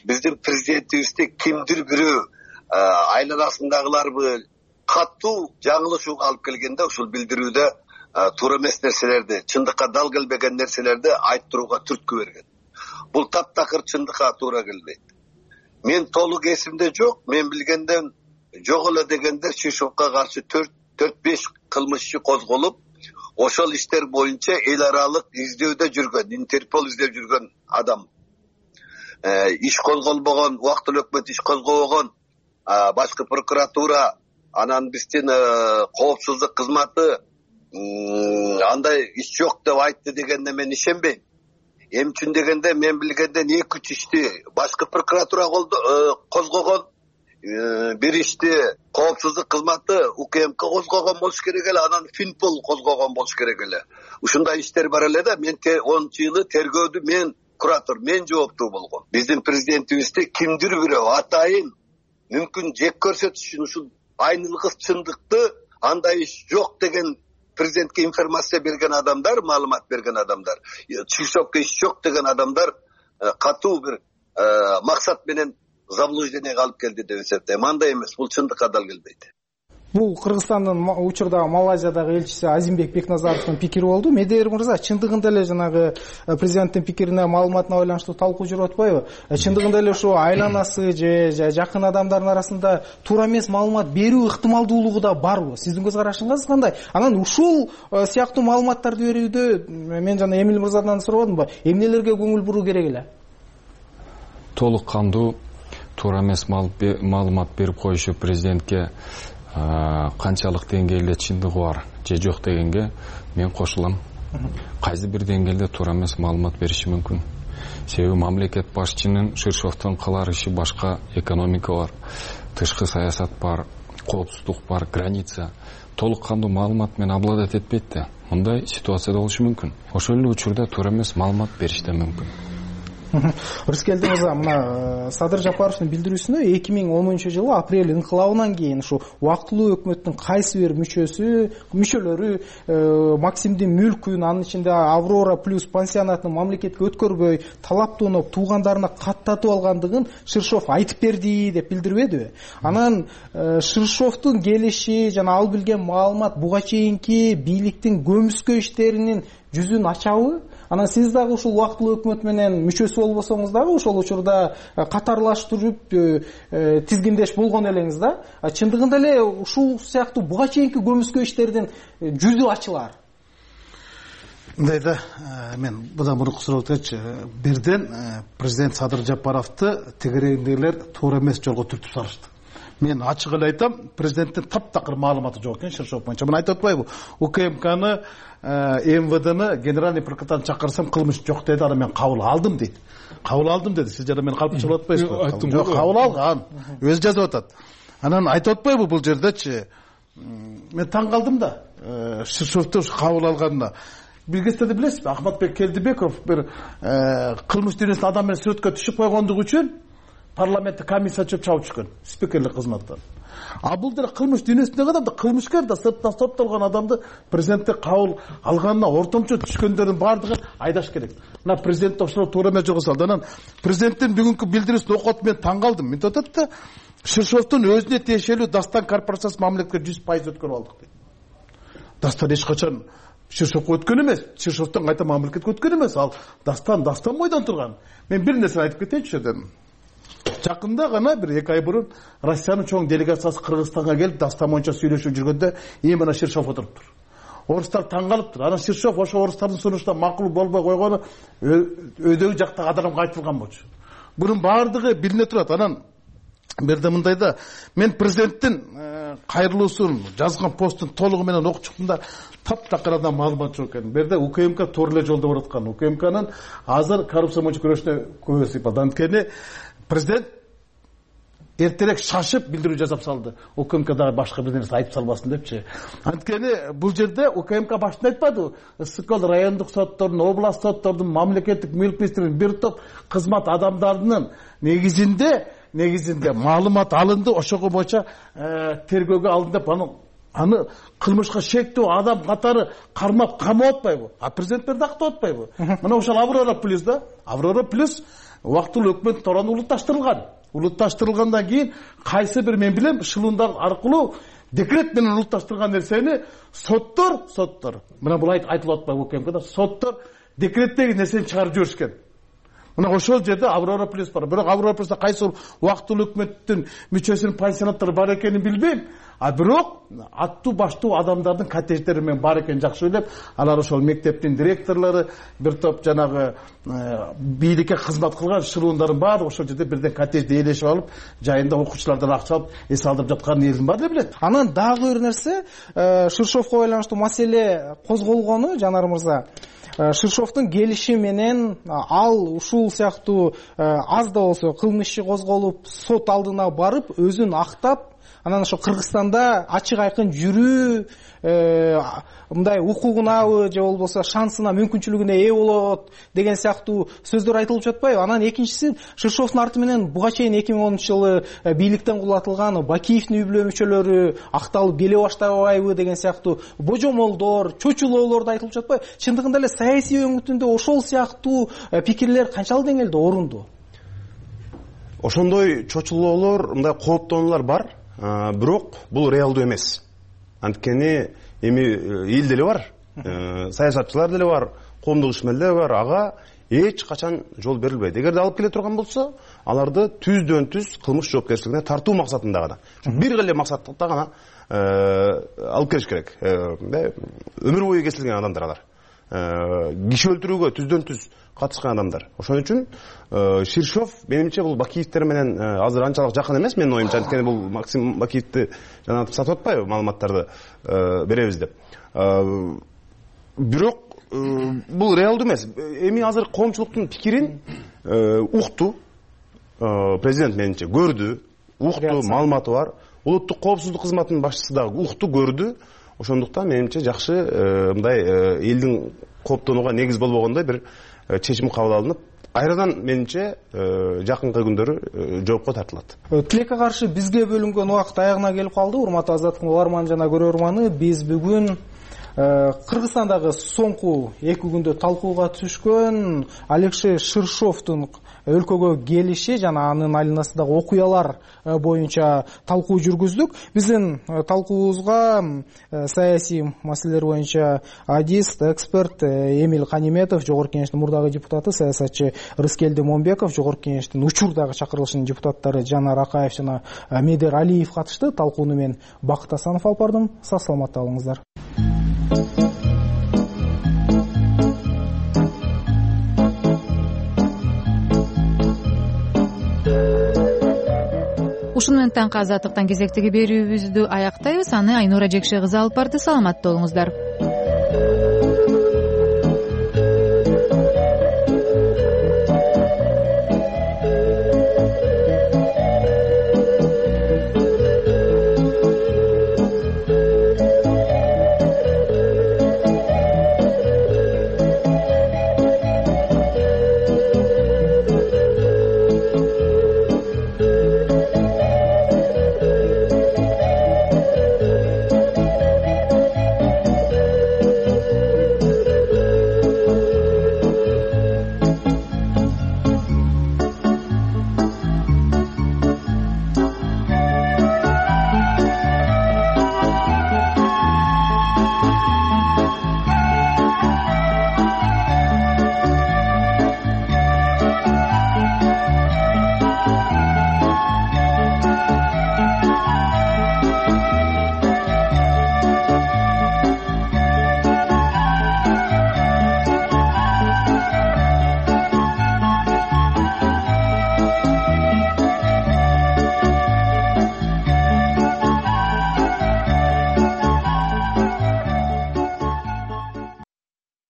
биздин президентибизди кимдир бирөө айланасындагыларбы катуу жаңылышууга алып келгенде ушул билдирүүдө туура эмес нерселерди, чындыкка дал келбеген нерселерди айттырууга түрткү берген. Бул таптакыр чындыкка туура келбейт. Мен толук эсимде жок, мен билгенден жок эле дегенде Ширшовго каршы 4-5 кылмыш иши козголуп, ошол иштер боюнча эл аралык издөөдө жүргөн, Интерпол издеп жүргөн адам. Иш козголбогон, убактылуу өкмөт иш козгобогон, башкы прокуратура, анан биздин коопсуздук кызматы андай иш жок деп айтты дегенде мен ишенбейм. Эми үчүн дегенде мен билгенден 2-3 ишти башкы прокуратура козгогон, бир ишти коопсуздук кызматы УКМК козгогон болуш керек эле, анан Финпол козгогон болуш керек эле. Ушундай иштер бар эле да, мен 10-жылы тергөөдү мен куратор, мен жооптуу болгом. Биздин президентибизди кимдир бирөө атайын мүмкүн жек көрсөтүш үчүн ушул айнылгыс чындыкты, андай иш жок деген президентке информация берген адамдар, маалымат берген адамдар, Ширшовго иш жок деген адамдар катуу бир максат менен заблужденияга алып келди деп эсептейм. Андай эмес, бул чындыкка дал келбейт. Бул Кыргызстандын учурда Малайзиядагы элчиси Азимбек Бекназаровдун пикири болду. Медер мырза, чындыгында эле жанагы президенттин пикирине, маалыматына байланыштуу талкуу жүрүп атпайбы? Чындыгында эле ушу айланасы же жакын адамдардын арасында туура эмес маалымат берүү ыктымалдуулугу да барбы? Сиздин көз карашыңыз кандай? Анан ушул сыяктуу маалыматтарды берүүдө мен жана Эмил мырзадан сурабадымбы? Эмнелерге көңүл буруу керек эле? Толук кандуу туура эмес маалымат берип коюшу президентке канчалык деңгээлде чындыгы бар же жок дегенге мен кошулам. Кайсы бир деңгээлде туура эмес маалымат бериши мүмкүн. Себеби мамлекет башчынын Ширшовдон кылар иши башка, экономика бар, тышкы саясат бар, коопсуздук бар, граница. Толук кандуу маалымат менен обладать этпейт да. Мындай ситуацияда болушу мүмкүн. Ошол эле учурда туура эмес маалымат бериш да мүмкүн. Рыскелди мырза, мына Садыр Жапаровдун билдирүүсүнө 2010-жылы апрель инкылабынан кийин ушу убактылуу өкмөттүн кайсы бир мүчөлөрү Максимдин мүлкүн, анын ичинде Аврора плюс пансионатын мамлекетке өткөрбөй, талаптоноп туугандарына каттатып алгандыгын Ширшов айтып берди деп билдирбедиби? Анан Ширшовдун келиши жана ал билген маалымат буга чейинки бийликтин көмүскө иштеринин жүзүн ачабы? Анан сиз дагы ушул убактылуу өкмөт менен мүчөсү болбосоңуз дагы ошол учурда катарлаштырып тизгиндеш болгон элеңиз да. Чындыгында эле ушул сыяктуу буга чейинки көмүскө иштердин жүзү ачылар. Мындай да, мен будан мурунку сурооткачы бирден президент Садыр Жапаровду тегерегиндегилер туура эмес жолго түртүп салышты. Мен ачык эле айтам, президенттин таптакыр маалыматы жок экен Ширшов боюнча. Мен айтып атпайбы, УКМКны, МВДны генеральный прокуратураны чакырсам кылмыш жок деди, аны мен кабыл алдым дейт. Кабыл алдым деди. Сиз жана мени калпчылап атпайсызбы? Жок, кабыл алган. Өзү жазып атат. Анан айтып атпайбы бул жердечи? Мен таң калдым да, Ширшовду кабыл алганына. Бир кездерде билесизби, Ахматбек Келдибеков бир кылмыш дүйнөсүндө адам менен сүрөткө түшүп койгондугу үчүн парламентте комиссия чабып түшкөн, спикерлик кызматтан. А бул деле кылмыш дүйнөсүндөгү адамды, кылмышкер да сырттан соттолгон адамды президентте кабыл алганына ортомчо түшкөндөрдүн баардыгын айдаш керек. Мына президент ошол туура эмес жолго салды. Анан президенттин бүгүнкү билдирүүсүн окуп мен таң калдым. Мен айтат да, Ширшовдун өзүнө тиешелүү Дастан корпорациясы мамлекетке 100% өткөрүп алдык дейт. Дастан эч качан Ширшовго өткөн эмес, Ширшовдон кайта мамлекетке өткөн эмес. Ал Дастан бойдон турган. Мен бир нерсе айтып кетейинчи жерден. Жакында гана бир 2 ай бурун Россиянын чоң делегациясы Кыргызстанга келип Дастан боюнча сүйлөшүп жүргөндө мына Ширшов отуруптур. Орустар таң калыптыр. Анан Ширшов ошо орустардын сунушуна макул болбой койгону өйдөгү жактагы адамга айтылган болчу. Бунун баардыгы билине турат. Анан берде мындай да, мен президенттин кайрылуусун жазган посттун толугу менен окуп чыктым да, таптакырдан маалымат жок экен. Берде УКМК туура эле жолдо бараткан. УКМКнын азыр коррупция боюнча күрөшүнө көбү сыйпады. Анткени президент эртерээк шашып билдирүү жасап салды. УКМК дагы башка бир нерсе айтып салбасын депчи. Анткени бул жерде УКМК башында айтпады. СКЛ райондук соттордун, област соттордун, мамлекеттик мүлк министрлигинин бир топ кызмат адамдарынын негизинде маалымат алынды, ошого боюнча тергөөгө алынды деп аны кылмышка шектүү адам катары кармап камап атпайбы? А президенттер да актап атпайбы? Мына ошол Аврора плюс да, Аврора плюс убактылуу өкмөт тораны улутташтырылган. Улутташтырылгандан кийин кайсы бир мен билем шылуундар аркылуу декрет менен улутташтырган нерсени соттор мына бул айтылып атпайбы УКМКда, соттор декреттеги нерсени чыгарып жиберишкен. Мына ошол жерде Аврора плюс бар. Бирок Аврора плюста кайсы убактылуу өкмөттүн мүчөсүнүн пансионаттары бар экенин билбейм. А бирок аттуу баштуу адамдардын коттедждери мен бар экенин жакшы билеп, алар ошол мектептин директорлору, бир топ жанагы бийликке кызмат кылган шылуундардын баары ошол жерде бирден коттеджди ээлешип алып, жайында окуучулардан акча алып эс алдырып жатканын элдин баары билет. Анан дагы бир нерсе, Ширшовго байланыштуу маселе козголгону, Жанар мырза, Ширшовдун келиши менен ал ушул сыяктуу аз да болсо кылмыш иши козголуп, сот алдына барып, өзүн актап, анан ошо Кыргызстанда ачык айкын жүрүү мындай укугунабы же болбосо шансына, мүмкүнчүлүгүнө ээ болот деген сыяктуу сөздөр айтылып жатпайбы? Анан экинчиси, Ширшовдун арты менен буга чейин 2010 жылы бийликтен кулатылган Бакиевдин үй бүлө мүчөлөрү акталып келе баштабайбы деген сыяктуу божомолдор, чочулоолор да айтылып жатпайбы? Чындыгында эле саясий өңүтүндө ошол сыяктуу пикирлер канчалык деңгээлде орундуу? Ошондой чочулоолор, мындай кооптонуулар бар. Бирок бул реалдуу эмес. Анткени эми эл деле бар, саясатчылар деле бар, коомдук ишмерлер бар, ага эч качан жол берилбейт. Эгерде алып келе турган болсо, аларды түздөн түз кылмыш жоопкерчилигине тартуу максатында гана, бир эле максатта гана алып келиш керек. Өмүр бою кесилген адамдар алар. Киши өлтүрүүгө түздөн түз катышкан адамдар. Ошон үчүн Ширшов менимче бул Бакиевтер менен азыр анчалык жакын эмес, менин оюмча. Анткени бул Максим Бакиевти жана сатып атпайбы маалыматтарды беребиз деп. Бирок бул реалдуу эмес. Эми азыр коомчулуктун пикирин укту. Президент менимче көрдү, укту, маалыматы бар. Улуттук коопсуздук кызматынын башчысы дагы укту, көрдү. Ошондуктан менимче жакшы мындай элдин кооптонууга негиз болбогондой бир чечим кабыл алынып, айрадан менимче жакынкы күндөрү жоопко тартылат. Тилекке каршы бизге бөлүнгөн убакыт аягына келип калды. Урматтуу Азаттыктын угарманы жана көрөрманы, биз бүгүн Кыргызстандагы соңку 2 күндө талкууга түшкөн Алексей Ширшовдун өлкөгө келиши жана анын айланасындагы окуялар боюнча талкуу жүргүздүк. Биздин талкуубузга саясий маселелер боюнча адист, эксперт Эмиль Каниметов, жогорку кеңештин мурдагы депутаты, саясатчы Рыскелди Момбеков, жогорку кеңештин учурдагы чакырылышынын депутаттары Жанар Акаев жана Медер Алиев катышты. Талкууну мен Бакыт Асанов алып бардым. Сак саламатта болуңуздар. Ушуну менен таңкы азаттыктан кезектеги берүүбүздү аяктайбыз. Аны Айнура Жекше кызы алып барды. Саламатта болуңуздар.